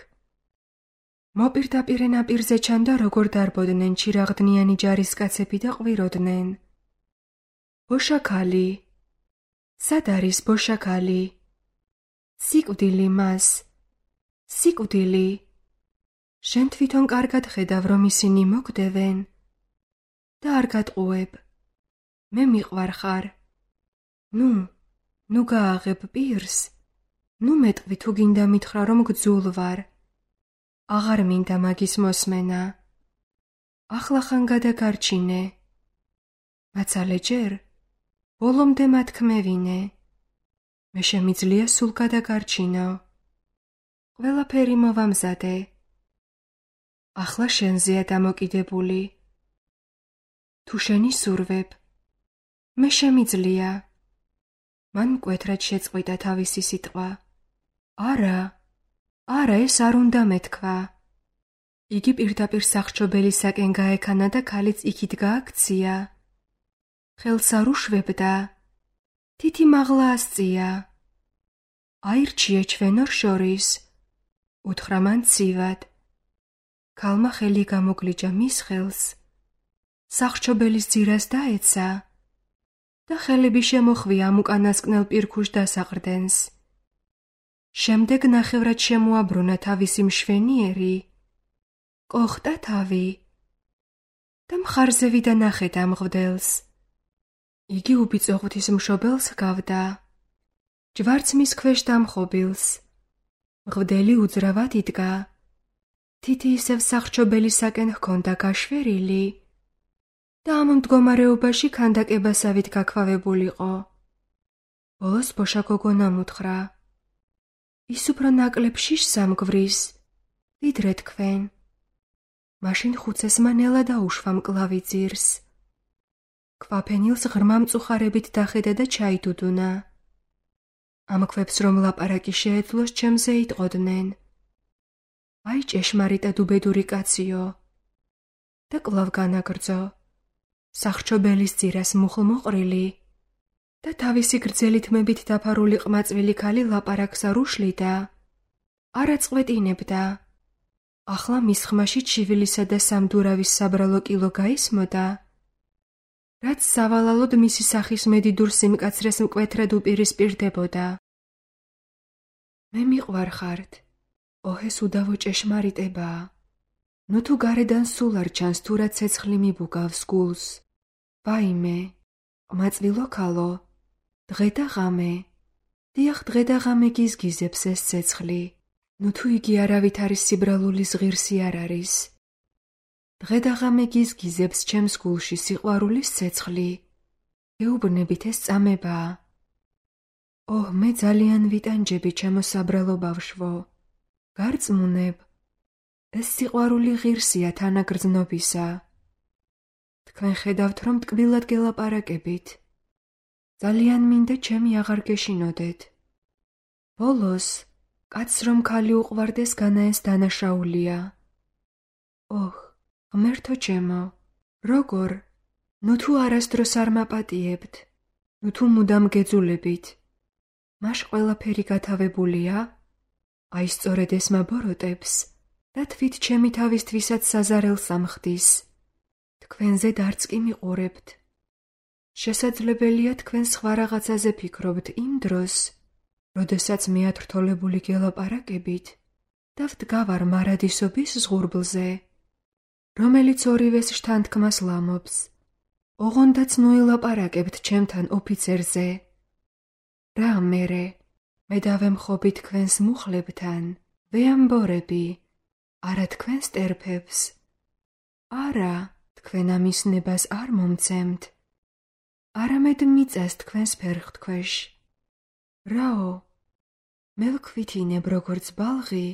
მოპირდაპირე ნაპირზე ჩანდა, როგორ დარბოდნენ ჩირაღდნიანი ჯარისკაცები და ყვიროდნენ. ბოშაქალი. სად არის ბოშაქალი? სიკვდილი მას. სიკვდილი. შენ თვითონ კარგად ხედავ, რომ ისინი მოგდევენ და არ გატყუებ. მე მიყვარ ხარ. ნუ, ნუ გააღებ პირს. ნუ მეტყვი თუ გინდა მითხრა, რომ გძულ ვარ. აღარ მინდა მაგის მოსმენა. ახლახან გადაგარჩინე. მაცალე ჯერ, ბოლომდე მათქმევინე. მე შემიძლია სულ გადაგარჩინო. ყველაფერი მოვამზადე. ახლა შენზეა დამოკიდებული. თუ შენი სურვებ, მე შემიძლია. მან მკვეთრად შეწყვიტა თავისი სიტყვა. არა, არა, ეს არ უნდა მეთქვა. იგი პირდაპირ სახრჩობელისაკენ გაექანა და ქალიც იქით გააქცია. ხელს არ უშვებდა. თითი მაღლა ასწია. აირჩიე ჩვენ ორ შორის, უთხრა მან ცივად. ქალმა ხელი გამოგლიჯა მის ხელს. სახრჩობელის ძირას დაეცა და ხელები შემოხვია ამ უკანასკნელ პირქუშ დასაყრდენს. შემდეგ ნახევრად შემოაბრუნა თავისი მშვენიერი, კოხტა თავი და მხარზე ვიდა ნახეთ ამ მღვდელს. იგი უბიწო ღვთისმშობელს ჰგავდა, ჯვარც მის ქვეშ დამხობილს. მღვდელი უძრავად იდგა. თითი ისევ სახრჩობელისაკენ ჰქონდა გაშვერილი და ამ მდგომარეობაში ქანდაკებასავით გაქვავებულიყო. ბოლოს ბოშა გოგონამ უთხრა: ის უფრო ნაკლებ შიშს ამგვრის, ვიდრე თქვენ. მაშინ ხუცესმა ნელა დაუშვა მკლავი ძირს. ქვაფენილს ღრმა მწუხარებით დახედა და ჩაიდუდუნა. ამ ქვებს რომ ლაპარაკი შეეძლოს, ჩემზე იტყოდნენ: აი ჭეშმარიტად უბედური კაციო. და კვლავ განაგრძო. სახრჩობელის ძირას მუხლმოყრილი და თავისი გრძელი თმებით დაფარული ყმაწვილი ქალი ლაპარაკს არ უშლიდა, არ აწყვეტინებდა. ახლა მის ხმაში ჩივილისა და სამდურავის საბრალო კილო გაისმოდა, რაც სავალალოდ მისი სახის მედიდურ სიმკაცრეს მკვეთრად უპირისპირდებოდა. მე მიყვარხართ, ოჰეს უდავო ჭეშმარიტებაა. ნუ თუ გარედან სულ არ ჩანს, თუ რა ცეცხლი მიბუგავს გულს. ვაიმე, ყმაწვილო ქალო, დღე და ღამე, დიახ დღე და ღამე გიზგიზებს ეს ცეცხლი. ნუ თუ იგი არავით არის სიბრალულის ღირსი არ არის. დღე და ღამე გიზგიზებს ჩემს გულში სიყვარულის ცეცხლი. გეუბნებით ეს წამებაა. ოჰ, მე ძალიან ვიტანჯები ჩემო საბრალო ბავშვო. გარწმუნებ, ეს სიყვარული ღირსია თანაგრძნობისა. თქვენ ხედავთ, რომ ტკბილად გელაპარაკებით. ძალიან მინდა ჩემი აღარ გეშინოდეთ. ბოლოს, კაცს რომ ქალი უყვარდეს, განა ეს დანაშაულია. ოჰ, ღმერთო ჩემო, როგორ? ნუ თუ არასდროს არ მაპატიებთ, ნუ თუ მუდამ გეძულებით. მაშ ყველაფერი გათავებულია? აი სწორედ ეს მაბოროტებს და თვით ჩემი თავისთვისაც საზარელს ამხდის. თქვენზედ არც კი მიყურებთ. შესაძლებელია თქვენ სხვა რაღაცაზე ფიქრობთ იმ დროს, როდესაც მე ათრთოლებული გელაპარაკებით და ვდგავარ მარადისობის ზღურბლზე, რომელიც ორივეს შთანთქმას ლამობს. ოღონდაც ნუ ელაპარაკებთ ჩემთან ოფიცერზე. რა მერე? მე დავემხობი თქვენს მუხლებთან, ვეამბორები, არა თქვენს ტერფებს. არა, თქვენ ამის ნებას არ მომცემთ. არამედ მიწას თქვენს ფერხთქვეშ. რაო, მე ვქვითინებ როგორც ბალღი,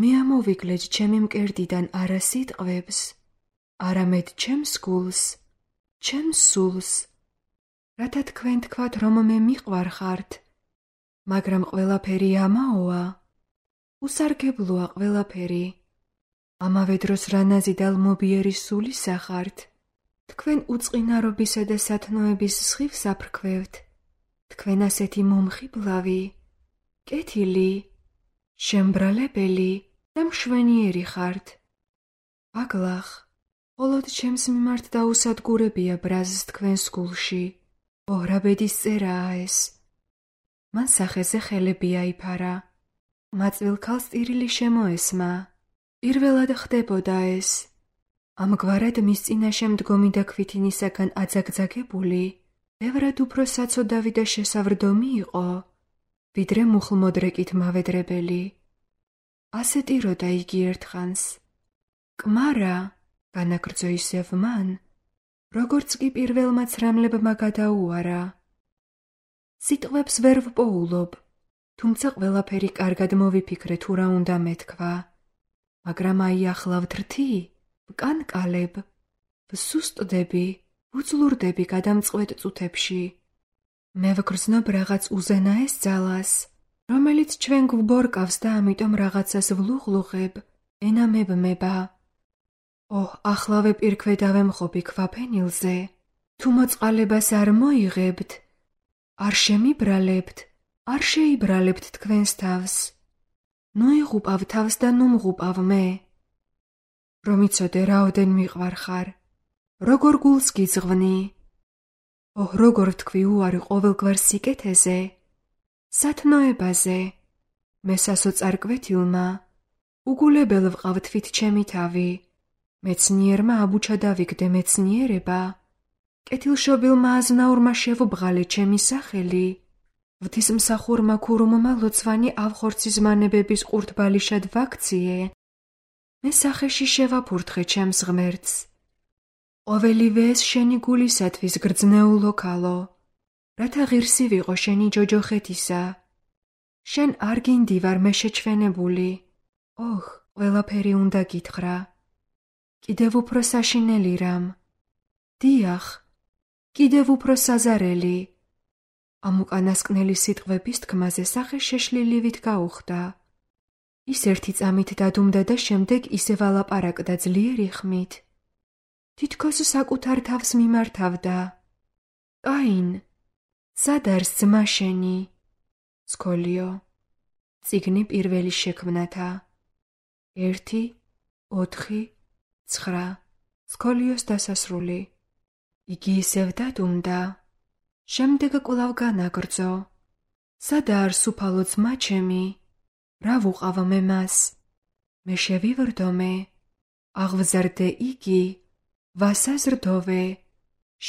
მე ამოვიგლეჯ ჩემი მკერდიდან არა სიტყვებს, არამედ ჩემს გულს, ჩემს სულს, რათა თქვენ თქვათ, რომ მე მიყვარხართ, მაგრამ ყველაფერი ამაოა, უსარგებლოა ყველაფერი. ამავე დროს რანაზი და ლმობიერი სული სახართ. თქვენ უწყინარობისა და სათნოების სხივს აფრქვევთ. თქვენ ასეთი მომხიბლავი, კეთილი, შემბრალებელი და მშვენიერი ხართ. აგლახ, მხოლოდ ჩემს მიმართ დაუსადგურებია ბრაზს თქვენს გულში. ოհ, რა ბედის წერაა ეს. მან სახეზე ხელები აიფარა. მაწვილ ქალს ტირილი შემოესმა. პირველად ხდებოდა ეს. ამგვარად მის წინაშე მდგომი და ქვითინისაგან აძაგძაგებული, ბევრად უფრო საცოდავი და შესავრდომი იყო, ვიდრე მუხლმოდრეკით მავედრებელი. ასე ტიროდა იგი ერთხანს. კმარა, განაგრძო ისევ მან, როგორც კი პირველმა ცრემლებმა გადაუარა. სიტყვებს ვერ ვპოულობ, თუმცა ყველაფერი კარგად მოვიფიქრე თუ რა უნდა მეთქვა. მაგრამ აი ახლა ვთრთი, ვკანკალებ, ვსუსტდები, ვუძლურდები გადამწყვეტ წუთებში. მე ვგრძნობ რაღაც უზენაეს ძალას, რომელიც ჩვენ გვბორკავს და ამიტომ რაღაცას ვლუღლუღებ, ენა მებმება. ოհ, ახლავე პირქვე დავემხობი ქვაფენილზე, თუ მოწყალებას არ მოიღებთ, არ შემიბრალებთ, არ შეიბრალებთ თქვენს თავს. ნუ იღუპავ თავს და ნუ მღუპავ მე. რომ იცოდე რაოდენ მიყვარხარ, როგორ გულს გიძღვნი. ოհ, როგორ თქვი უარი ყოველგვარ სიკეთეზე, სათნოებაზე, მე სასოწარ კვეთილმა, უგულებელ ვყავ თვით ჩემი თავი, მეცნიერმა აბუჩა დავიგდე მეცნიერება, კეთილშობილმა აზნაურმა შევუბრალე ჩემი სახელი, ღვთისმსახურმა ქურუმმა ლოცვანი ავხორცის მანებების ყურთბალიშად ვაქციე, მე სახეში შევაფურთხე ჩემს ღმერთს. ყოველივე ეს შენი გულისათვის გრძნეულო ქალო, რათა ღირსი ვიყო შენი ჯოჯოხეთისა. შენ არ გინდი ვარ მე შეჩვენებული. ოჰ, ყველაფერი უნდა გითხრა. კიდევ უფრო საშინელი რამ. დიახ, კიდევ უფრო საზარელი. ამ უკანასკნელი სიტყვების თქმაზე სახე შეშლილივით გაუხდა. ის ერთი წამით დადუმდა და შემდეგ ისევ ალაპარაკდა ძლიერი ხმით. თითქოს საკუთარ თავს მიმართავდა. კაინ, სად არის ძმა შენი? სკოლიო. წიგნი პირველი შექმნათა. ერთი, ოთხი, ცხრა. სკოლიოს დასასრული. იგი ისევ დადუმდა. შემდეგ კვლავ განაგრძო. სადაა სუფალო ძმა ჩემი? რა ვუყავ მე მას? მე შევივრდომე. აღვზარდე იგი, ვასაზრდოვე,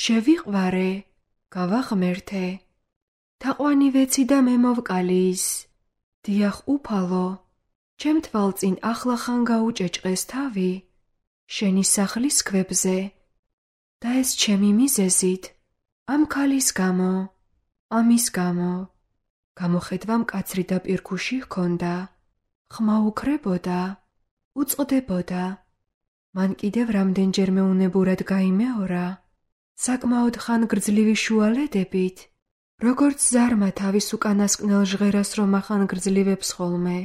შევიყვარე, გავაღმერთე. თაყვანი ვეცი და მე მოვკალი ის. დიახ უფალო, ჩემ თვალწინ ახლახან გაუჭეჭყეს თავი, შენი სახლის ქვებზე. და ეს ჩემი მიზეზით, ამ ქალის გამო, ამის გამო. გამოხედვა მკაცრი და პირქუში ჰქონდა, ხმა უკრებოდა, უწყდებოდა. მან კიდევ რამდენჯერმე უნებურად გაიმეორა, საკმაოდ ხანგრძლივი შუალედებით, როგორც ზარმა თავის უკანასკნელ ჟღერას რომ ახანგრძლივებს ხოლმე.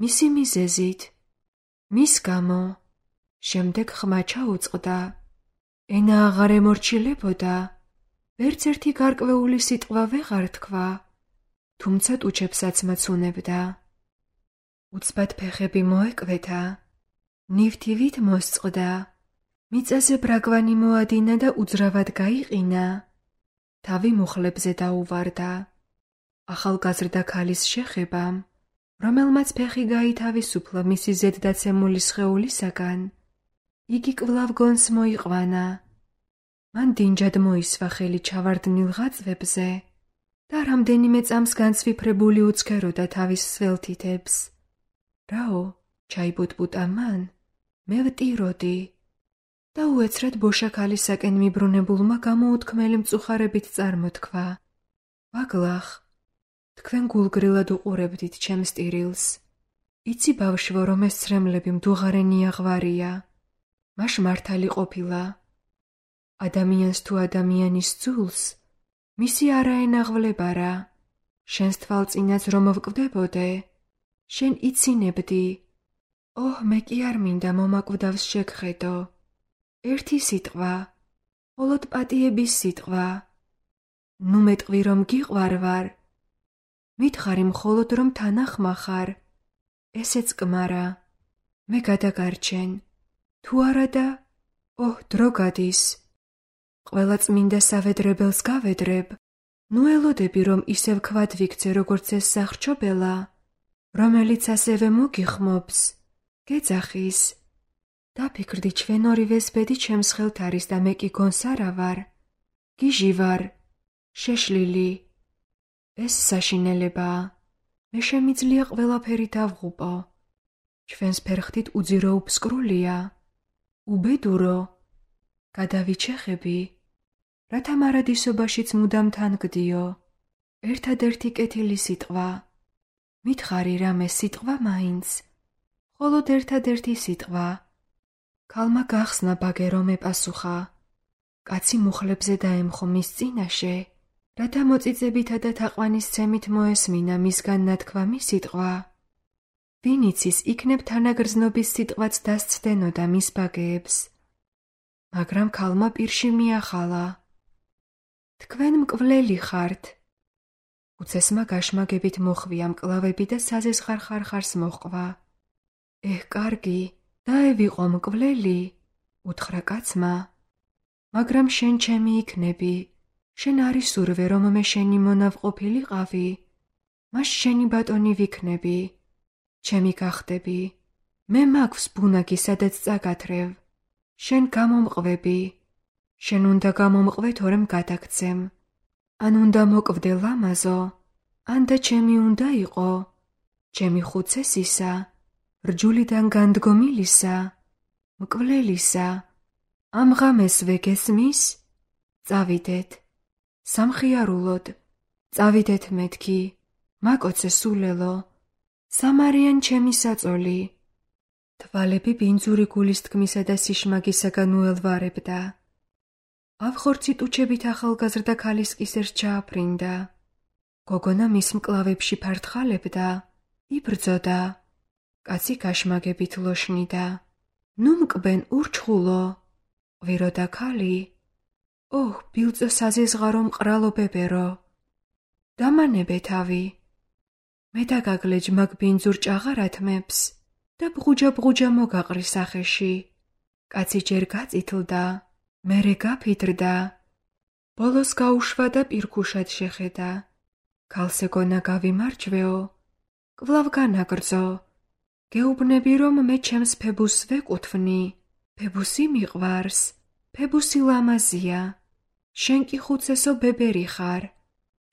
მისი მიზეზით, მის გამო, შემდეგ ხმა ჩაუწყდა. ენა აღარ ემორჩილებოდა, ვერც ერთი გარკვეული სიტყვა ვეღარ თქვა, თუმცა ტუჩებსაც მაცუნებდა. უცბად ფეხები მოეკვეთა, ნივთივით მოსწყდა, მიწაზე ბრაგვანი მოადინა და უძრავად გაიყინა. თავი მუხლებზე დაუვარდა. ახალგაზრდა ქალის შეხებამ, რომელმაც ფეხი გაითავისუფლა მისი ზედდაცემული სხეულისაგან, იგი კვლავ გონს მოიყვანა. მან დინჯად მოისვა ხელი ჩავარდნილ ღაწვებზე და რამდენიმე წამს განცვიფრებული უცქეროდა თავის სველთითებს. რაო, ჩაიბუტბუტა მან, მე ვტიროდი. და უეცრად ბოშაქალისაკენ მიბრუნებულმა გამოუთქმელი მწუხარებით წარმოთქვა. ვაგლახ, თქვენ გულგრილად უყურებდით ჩემს ტირილს. იცი ბავშვო, რომ ეს ცრემლები მდუღარენი აღვარია. მაშ მართალი ყოფილა. ადამიანს თუ ადამიანის ძულს, მისი არაენაღვლებარა. შენს თვალწინაც რომ ვკვდებოდე, შენ იცინებდი. ოჰ, მე კი არ მინდა მომაკვდავს შეგხედო. ერთი სიტყვა, მხოლოდ პატიების სიტყვა. ნუ მეტყვი რომ გიყვარ ვარ. მითხარი მხოლოდ რომ თანახმა ხარ. ესეც კმარა. მე გადაგარჩენ. თუ არა და, ოჰ, დრო გადის. ყველა წმინდა სავედრებელს გავედრებ. ნუ ელოდები რომ ისევ ქვად ვიქცე როგორც ეს სახრჩობელა, რომელიც ასევე მოგიხმობს. გეძახის. დაფიქრდი ჩვენ ორივეს ბედი ჩემს ხელთ არის და მე კი გონს არა ვარ. გიჟი ვარ. შეშლილი. ეს საშინელებაა. მე შემიძლია ყველაფერი დავღუპო. ჩვენს ფერხთით უძირო უფსკრულია. უბედურო. გადავიჩეხები. რათა მარადისობაშიც მუდამ თან გდიო. ერთადერთი კეთილი სიტყვა. მითხარი რამე სიტყვა მაინც. მხოლოდ ერთადერთი სიტყვა. ქალმა გახსნა ბაგერო მეპასუხა. კაცი მუხლებზე დაემხო მის წინაშე, რათა მოწიწებითა და თაყვანისცემით მოესმინა მისგან ნათქვამი სიტყვა. ვინ იცის, იქნებ თანაგრძნობის სიტყვაც დასცდენოდა მის ბაგეებს. მაგრამ ქალმა პირში მიახალა. თქვენ მკვლელი ხართ. უცესმა გაშმაგებით მოხვია მკლავები და საზესხარ ხარხარს მოჰყვა. ეჰ, კარგი, დაევიყო მკვლელი, უთხრა კაცმა. მაგრამ შენ ჩემი იქნები. შენ არის სურვე რომ მე შენი მონავყოფილიყავი. მას შენი ბატონი ვიქნები. ჩემი გახდები. მე მაქვს ბუნაგი სადაც წაგათრევ. შენ გამომყვები. შენ უნდა გამომყვე თორემ გადაგცემ. ან უნდა მოკვდე ლამაზო, ან და ჩემი უნდა იყო. ჩემი ხუცესისა, რჯულიდან განდგომილისა, მკვლელისა. ამ ღამეს ვეგესმის? წავიდეთ. სამხიარულოდ. წავიდეთ მეთქი. მაკოცე სულელო. სამარიან ჩემი საწოლი. თვალები ბინძური გულის თქმისა და სიშმაგისაგან უელვარებდა. ავხორცი ტუჩებით ახალგაზრდა ქალის კისერს ჩააფრინდა. გოგონა მის მკლავებში ფართხალებდა, იბრძოდა. კაცი გაშმაგებით ლოშნიდა. ნუ მკბენ ურჩხულო. ყვიროდა ქალი. ოჰ, ბილწო საზიზღარო მყრალო ბებერო. დამანებე თავი. მე დაგაგლეჯ მაგ ბინძურ ჭაღარათმებს და ბღუჯა-ბღუჯა მოგაყრი სახეში. კაცი ჯერ გაწითლდა, მერე გაფიდრდა. ბოლოს გაუშვა და პირქუშად შეხედა. ქალს ეგონა გავიმარჯვეო, კვლავ განაგრძო. გეუბნები რომ მე ჩემს ფებუსს ვეკუთვნი. ფებუსი მიყვარს, ფებუსი ლამაზია. შენ კი ხუცესო ბებერი ხარ.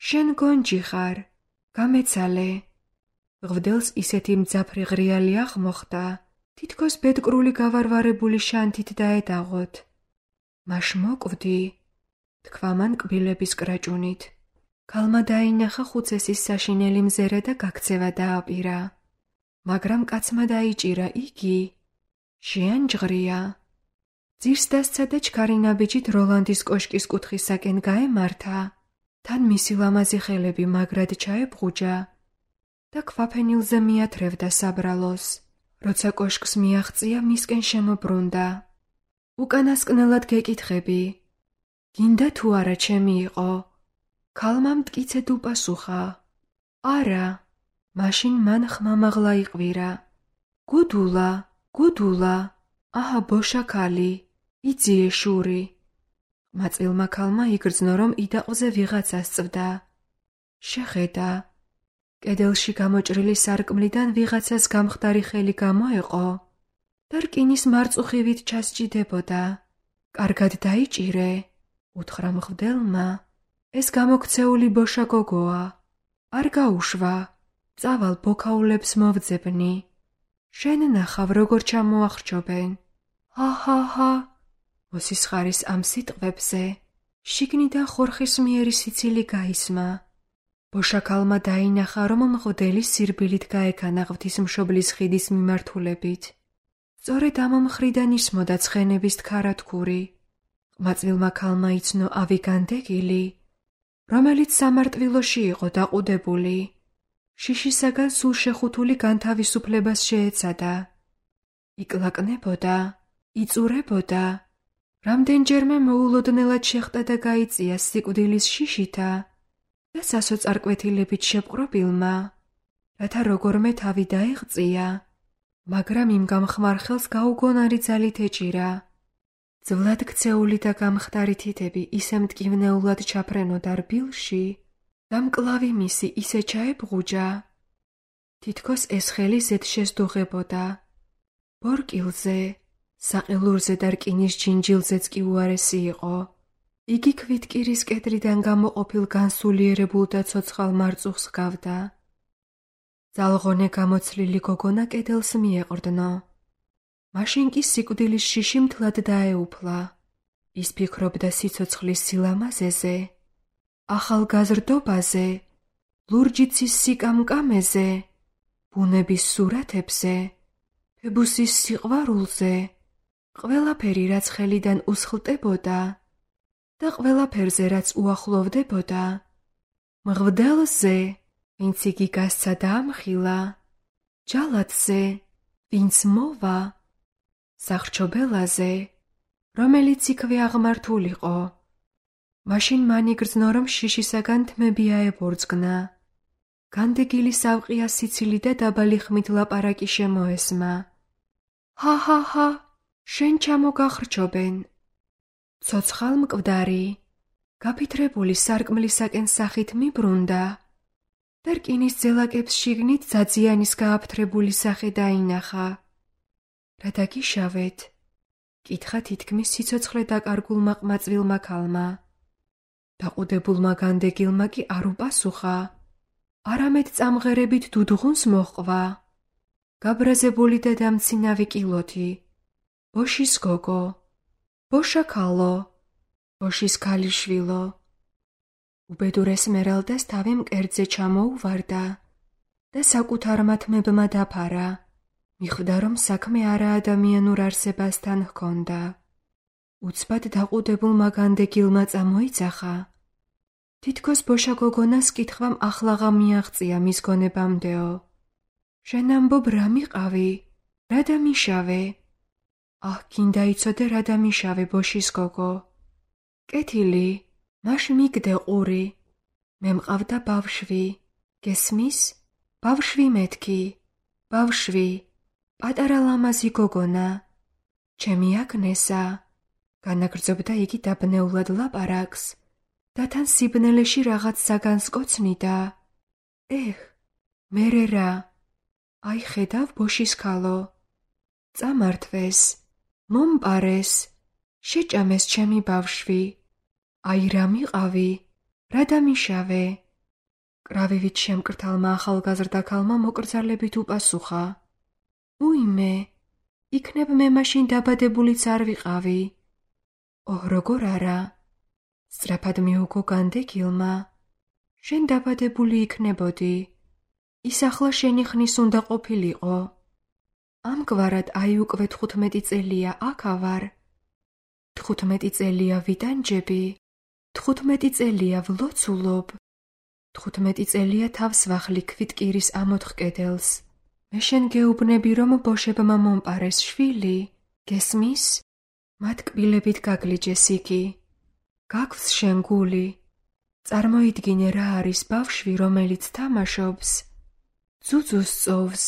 შენ გონჯი ხარ. გამეცალე. ღვდელს ისეთი მძაფრი ღრიალი აღმოხდა, თითქოს ბედკრული გავარვარებული შანთით დაედაღოთ. მაშ მოკვდი, თქვა მან კბილების კრაჭუნით. ქალმა დაინახა ხუცესის საშინელი მზერა და გაქცევა დააპირა. მაგრამ კაცმა დაიჭირა იგი. შეანჯღრია. ძირს დასცა და ჩქარი ნაბიჯით როლანდის კოშკის კუთხისაკენ გაემართა. თან მისი ლამაზი ხელები მაგრად ჩაებღუჯა და ქვაფენილზე მიათრევდა საბრალოს. როცა კოშკს მიაღწია, მისკენ შემობრუნდა. უკანასკნელად გეკითხები. გინდა თუ არა ჩემი იყო? ქალმა მტკიცედ უპასუხა. არა. მაშინ მან ხმამაღლა იყვირა. გუდულა, გუდულა, აჰა ბოშა ქალი, იძიე შური. მაწილმა ქალმა იგრძნო რომ იდაყზე ვიღაცა სწვდა. შეხედა. კედელში გამოჭრილი სარკმლიდან ვიღაცას გამხდარი ხელი გამოეყო და რკინის მარწუხივით ჩასჭიდებოდა. კარგად დაიჭირე, უთხრა მღვდელმა. ეს გამოქცეული ბოშა გოგოა. არ გაუშვა. წავალ ბოქაულებს მოვძებნი. შენ ნახავ როგორ ჩამოახრჩობენ. ჰა-ჰა-ჰა. მოსისხარის ამ სიტყვებზე შიგნიდან ხორხისმიერი სიცილი გაისმა. ბოშაქალმა დაინახა რომ მღვდელი სირბილით გაეკანა ღვთისმშობლის ხიდის მიმართულებით. სწორედ ამ მხრიდან ისმოდა ცხენების თხარათქური. ყმაწვილმა ქალმა იცნო ავი განდეგილი, რომელიც სამარტვილოში იყო დაყუდებული. შიშისაგან სულ შეხუთული განთავისუფლებას შეეცადა. იკლაკნებოდა, იწურებოდა. რამდენჯერმე მოულოდნელად შეხტა და გაიწია სიკვდილის შიშითა და სასოწარკვეთილებით შეპყრობილმა, რათა როგორმე თავი დაეღწია, მაგრამ იმ გამხმარ ხელს გაუგონარი ძალით ეჭირა. ძვლად ქცეული და გამხდარი თითები ისე მტკივნეულად ჩაფრენოდა რბილში და მკლავი მისი ისე ჩაებღუჯა, თითქოს ეს ხელი ზედ შესდუღებოდა. ბორკილზე, საყელურზე და რკინის ჯინჯილზეც კი უარესი იყო. იგი ქვითკირის კედრიდან გამოყოფილ განსულიერებულ და ცოცხალ მარწუხს ჰგავდა. ძალღონე გამოცლილი გოგონა კედელს მიეყრდნო. მაშინ კი სიკვდილის შიში მთლად დაეუფლა. ის ფიქრობდა სიცოცხლის სილამაზეზე, ახალგაზრდობაზე, ლურჯიცის სიკამკამეზე, ბუნების სურათებზე, ფებუსის სიყვარულზე, ყველაფერი რაც ხელიდან უსხლტებოდა და ყველაფერზე რაც უახლოვდებოდა, მღვდელზე, ვინც იგი გასცა და ამხილა, ჯალათზე, ვინც მოვა, სახრჩობელაზე, რომელიც იქვე აღმართულიყო. მაშინ მან იგრძნო რომ შიშისაგან თმები აებორძგნა. განდეგილი სავყია სიცილი და დაბალი ხმით ლაპარაკი შემოესმა. ჰა-ჰა-ჰა, შენ ჩამოგახრჩობენ. ცოცხალ მკვდარი, გაფითრებული სარკმლისაკენ სახით მიბრუნდა და რკინის ძელაკებს შიგნით ძაძიანის გააფთრებული სახე დაინახა. რა დაგიშავეთ? კითხა თითქმის სიცოცხლე დაკარგულმა ყმაწვილმა ქალმა. დაყუდებულმა განდეგილმა კი არ უპასუხა, არამედ წამღერებით დუდღუნს მოჰყვა. გაბრაზებული და დამცინავი კილოთი, ბოშის გოგო, ბოშა ქალო, ბოშის ქალიშვილო. უბედურ ესმერალდას თავი მკერდზე ჩამოუვარდა და საკუთარ მათმებმა დაფარა, მიხვდა რომ საქმე არაადამიანურ არსებასთან ჰქონდა. უცბად დაყუდებულმა განდეგილმა წამოიძახა. თითქოს ბოშა გოგონას კითხვამ ახლაღა მიაღწია მის გონებამდეო. შენ ამბობ რა მიყავი? რა დამიშავე? აჰ, გინდა იცოდე რა დამიშავე, ბოშის გოგო. კეთილი, მაშ მიგდე ყური. მე მყავდა ბავშვი. გესმის? ბავშვი მეთქი. ბავშვი. პატარა ლამაზი გოგონა. ჩემი აგნესა. განაგრძობდა იგი დაბნეულად ლაპარაკს და თან სიბნელეში რაღაც საგანს კოცნიდა. ეხ, მერე რა? აი ხედავ, ბოშის ქალო. წამართვეს, მომპარეს, შეჭამეს ჩემი ბავშვი. აი რა მიყავი? რა დამიშავე? კრავივით შემკრთალმა ახალგაზრდა ქალმა მოკრძალებით უპასუხა. უიმე, იქნებ მე მაშინ დაბადებულიც არ ვიყავი. ოհ, როგორ არა? სწრაფად მიუგო განდეგილმა. შენ დაბადებული იქნებოდი. ის ახლა შენი ხნის უნდა ყოფილიყო. ამგვარად აი უკვე თხუთმეტი წელია აქა ვარ. თხუთმეტი წელია ვიტანჯები. თხუთმეტი წელია ვლოცულობ. თხუთმეტი წელია თავს ვახლი ქვითკირის ამოთხ კედელს. მე შენ გეუბნები რომ ბოშებმა მომპარეს შვილი. გესმის? მათ კბილებით გაგლიჯეს იგი. გაგვს შენ გული. წარმოიდგინე რა არის ბავშვი, რომელიც თამაშობს. ძუძუს წოვს.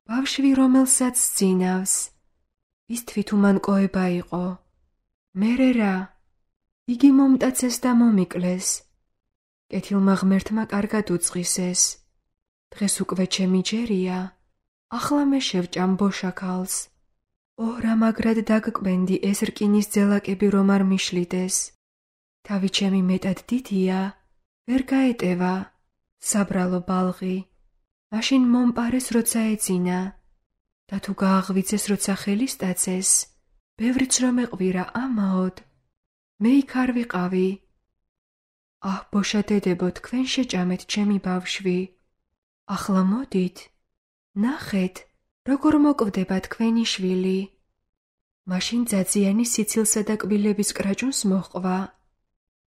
ბავშვი, რომელსაც სძინავს. ის თვითუმანკოება იყო. მერე რა? იგი მომტაცეს და მომიკლეს. კეთილმა ღმერთმა კარგად უწყისეს. დღეს უკვე ჩემი ჯერია. ახლა მე შევჭამ ბოშა ქალს. ოհ, რა მაგრად დაგკბენდი ეს რკინის ძელაკები რომ არ მიშლიდეს. თავი ჩემი მეტად დიდია, ვერ გაეტევა. საბრალო ბალღი. მაშინ მომპარეს როცა ეძინა. და თუ გააღვიძეს როცა ხელი სტაცეს, ბევრიც რომ ეყვირა ამაოდ. მე იქ არ ვიყავი. აჰ, ბოშა დედებო, თქვენ შეჭამეთ ჩემი ბავშვი. ახლა მოდით, ნახეთ, როგორ მოკვდება თქვენი შვილი. მაშინ ძაძიანი სიცილსა და კბილების კრაჭუნს მოჰყვა.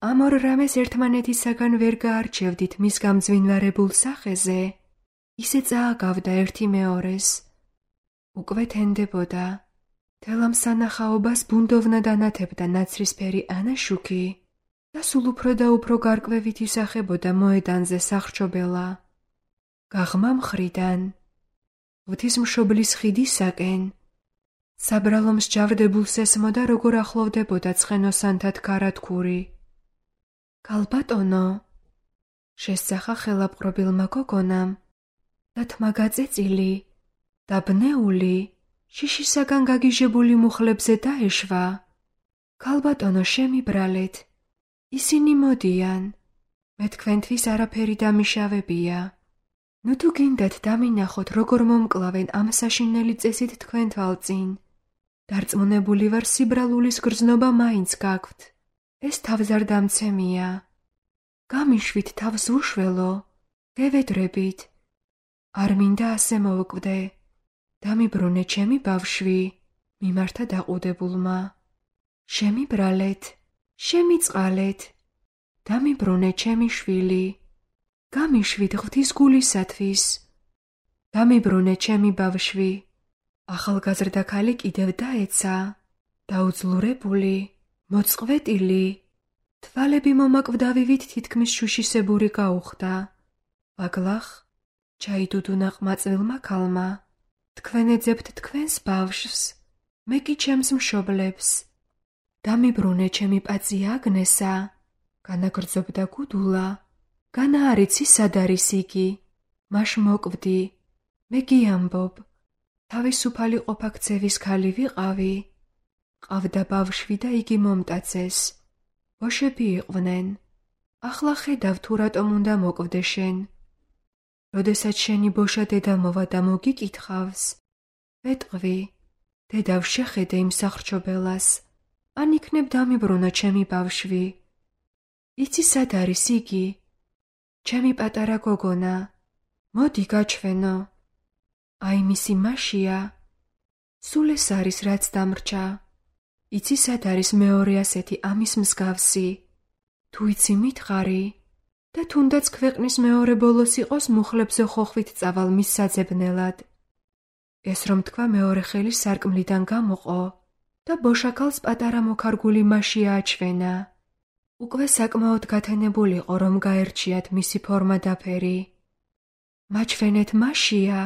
ამ ორ რამეს ერთმანეთისაგან ვერ გაარჩევდით მის გამძვინვარებულ სახეზე. ისე წააგავდა ერთი მეორეს. უკვე თენდებოდა. თელ ამ სანახაობას ბუნდოვნად ანათებდა ნაცრისფერი ანაშუქი და სულ უფრო და უფრო გარკვევით ისახებოდა მოედანზე სახრჩობელა. გაღმა მხრიდან, ღვთისმშობლის ხიდისაკენ, საბრალო მსჯავრდებულს ესმოდა, როგორ ახლოვდებოდა ცხენოსანთა თქარათქური. კალბატონო, შესძახა ხელაპყრობილმა გოგონამ და თმა გაწეწილი, დაბნეული, შიშისაგან გაგიჟებული მუხლებზე დაეშვა. კალბატონო, შემიბრალეთ. ისინი მოდიან. მე თქვენთვის არაფერი დამიშავებია. ნუ თუ გინდათ დამინახოთ, როგორ მომკლავენ ამ საშინელი წესით თქვენ თვალწინ. დარწმუნებული ვარ, სიბრალულის გრძნობა მაინც გაქვთ. ეს თავზარდამცემია. გამიშვით თავს უშველო, გევედრებით. არ მინდა ასე მოვკვდე. დამიბრუნე ჩემი ბავშვი, მიმართა დაყუდებულმა. შემიბრალეთ, შემიწყალეთ. დამიბრუნე ჩემი შვილი. გამიშვით ღვთის გულისათვის. დამიბრუნე ჩემი ბავშვი. ახალგაზრდა ქალი კიდევ დაეცა, დაუძლურებული, მოწყვეტილი. თვალები მომაკვდავივით თითქმის შუშისებური გაუხდა. ბაგლახ, ჩაიდუდუნა ყმაწვილმა ქალმა. თქვენ ეძებთ თქვენს ბავშვს, მე კი ჩემს მშობლებს. დამიბრუნე ჩემი პაწი აგნესა, განაგრძობდა გუდულა. განა არ იცი სად არის იგი, მაშ მოკვდი, მე გიამბობ. თავისუფალი ყოფაქცევის ქალი ვიყავი. ყავდა ბავშვი და იგი მომტაცეს. ბოშები იყვნენ. ახლა ხედავ თუ რატომ უნდა მოკვდე შენ. როდესაც შენი ბოშა დედა მოვა და მოგიკითხავს, ვეტყვი, დედავ შეხედე იმ სახრჩობელას, ან იქნებ დამიბრუნო ჩემი ბავშვი. იცი სად არის იგი? ჩემი პატარა გოგონა. მოდი გაჩვენო. აი მისი მაშია. სულ ეს არის რაც დამრჩა. იცი სად არის მეორე ასეთი ამის მსგავსი? თუ იცი მითხარი და თუნდაც ქვეყნის მეორე ბოლოს იყოს მუხლებზე ხოხვით წავალ მის საძებნელად. ეს რომ თქვა მეორე ხელი სარკმლიდან გამოყო და ბოშაკალს პატარა მოქარგული მაშია აჩვენა. უკვე საკმაოდ გათენებულიყო რომ გაერჩიათ მისი ფორმა და ფერი. მაჩვენეთ მაშია?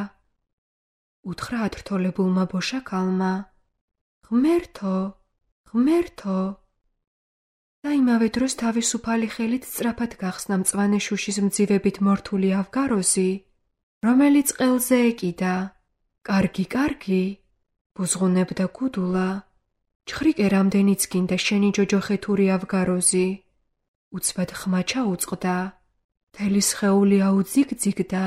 უთხრა ათრთოლებულმა ბოშაკალმა. ღმერთო, ღმერთო. და იმავე დროს თავისუფალი ხელით სწრაფად გახსნა მწვანე შუშის მძივებით მორთული ავგაროზი, რომელიც ყელზე ეკიდა. კარგი, კარგი, ბუზღუნებდა გუდულა. ჩხრიკე რამდენიც გინდა შენი ჯოჯოხეთური ავგაროზი. უცბად ხმა ჩაუწყდა, თელი სხეული აუძიგძიგდა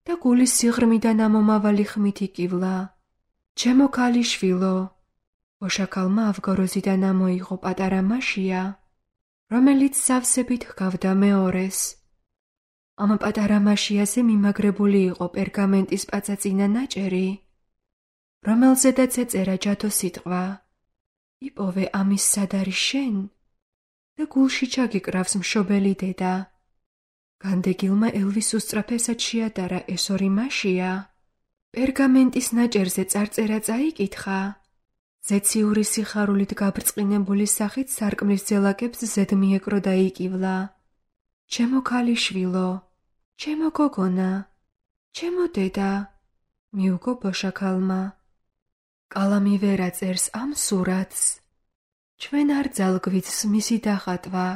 და გულის სიღრმიდან ამომავალი ხმით იკივლა. ჩემო ქალიშვილო, ბოშაკალმა ავგაროზიდან ამოიღო პატარა მაშია, რომელიც სავსებით ჰგავდა მეორეს. ამ პატარა მაშიაზე მიმაგრებული იყო პერგამენტის პაწაწინა ნაჭერი, რომელზედაც ეწერა ჯადო სიტყვა. იპოვე ამის სად არის შენ და გულში ჩაგიკრავს მშობელი დედა. განდეგილმა ელვის უსწრაფესად შეადარა ეს ორი მაშია. პერგამენტის ნაჭერზე წარწერა წაიკითხა. ზეციური სიხარულით გაბრწყინებული სახით სარკმლის ძელაკებს ზედ მიეკრო და იკივლა. ჩემო ქალიშვილო, ჩემო გოგონა, ჩემო დედა, მიუგო ბოშაკალმა. კალამი ვერ აწერს ამ სურათს. ჩვენ არ ძალგვიცს მისი დახატვა.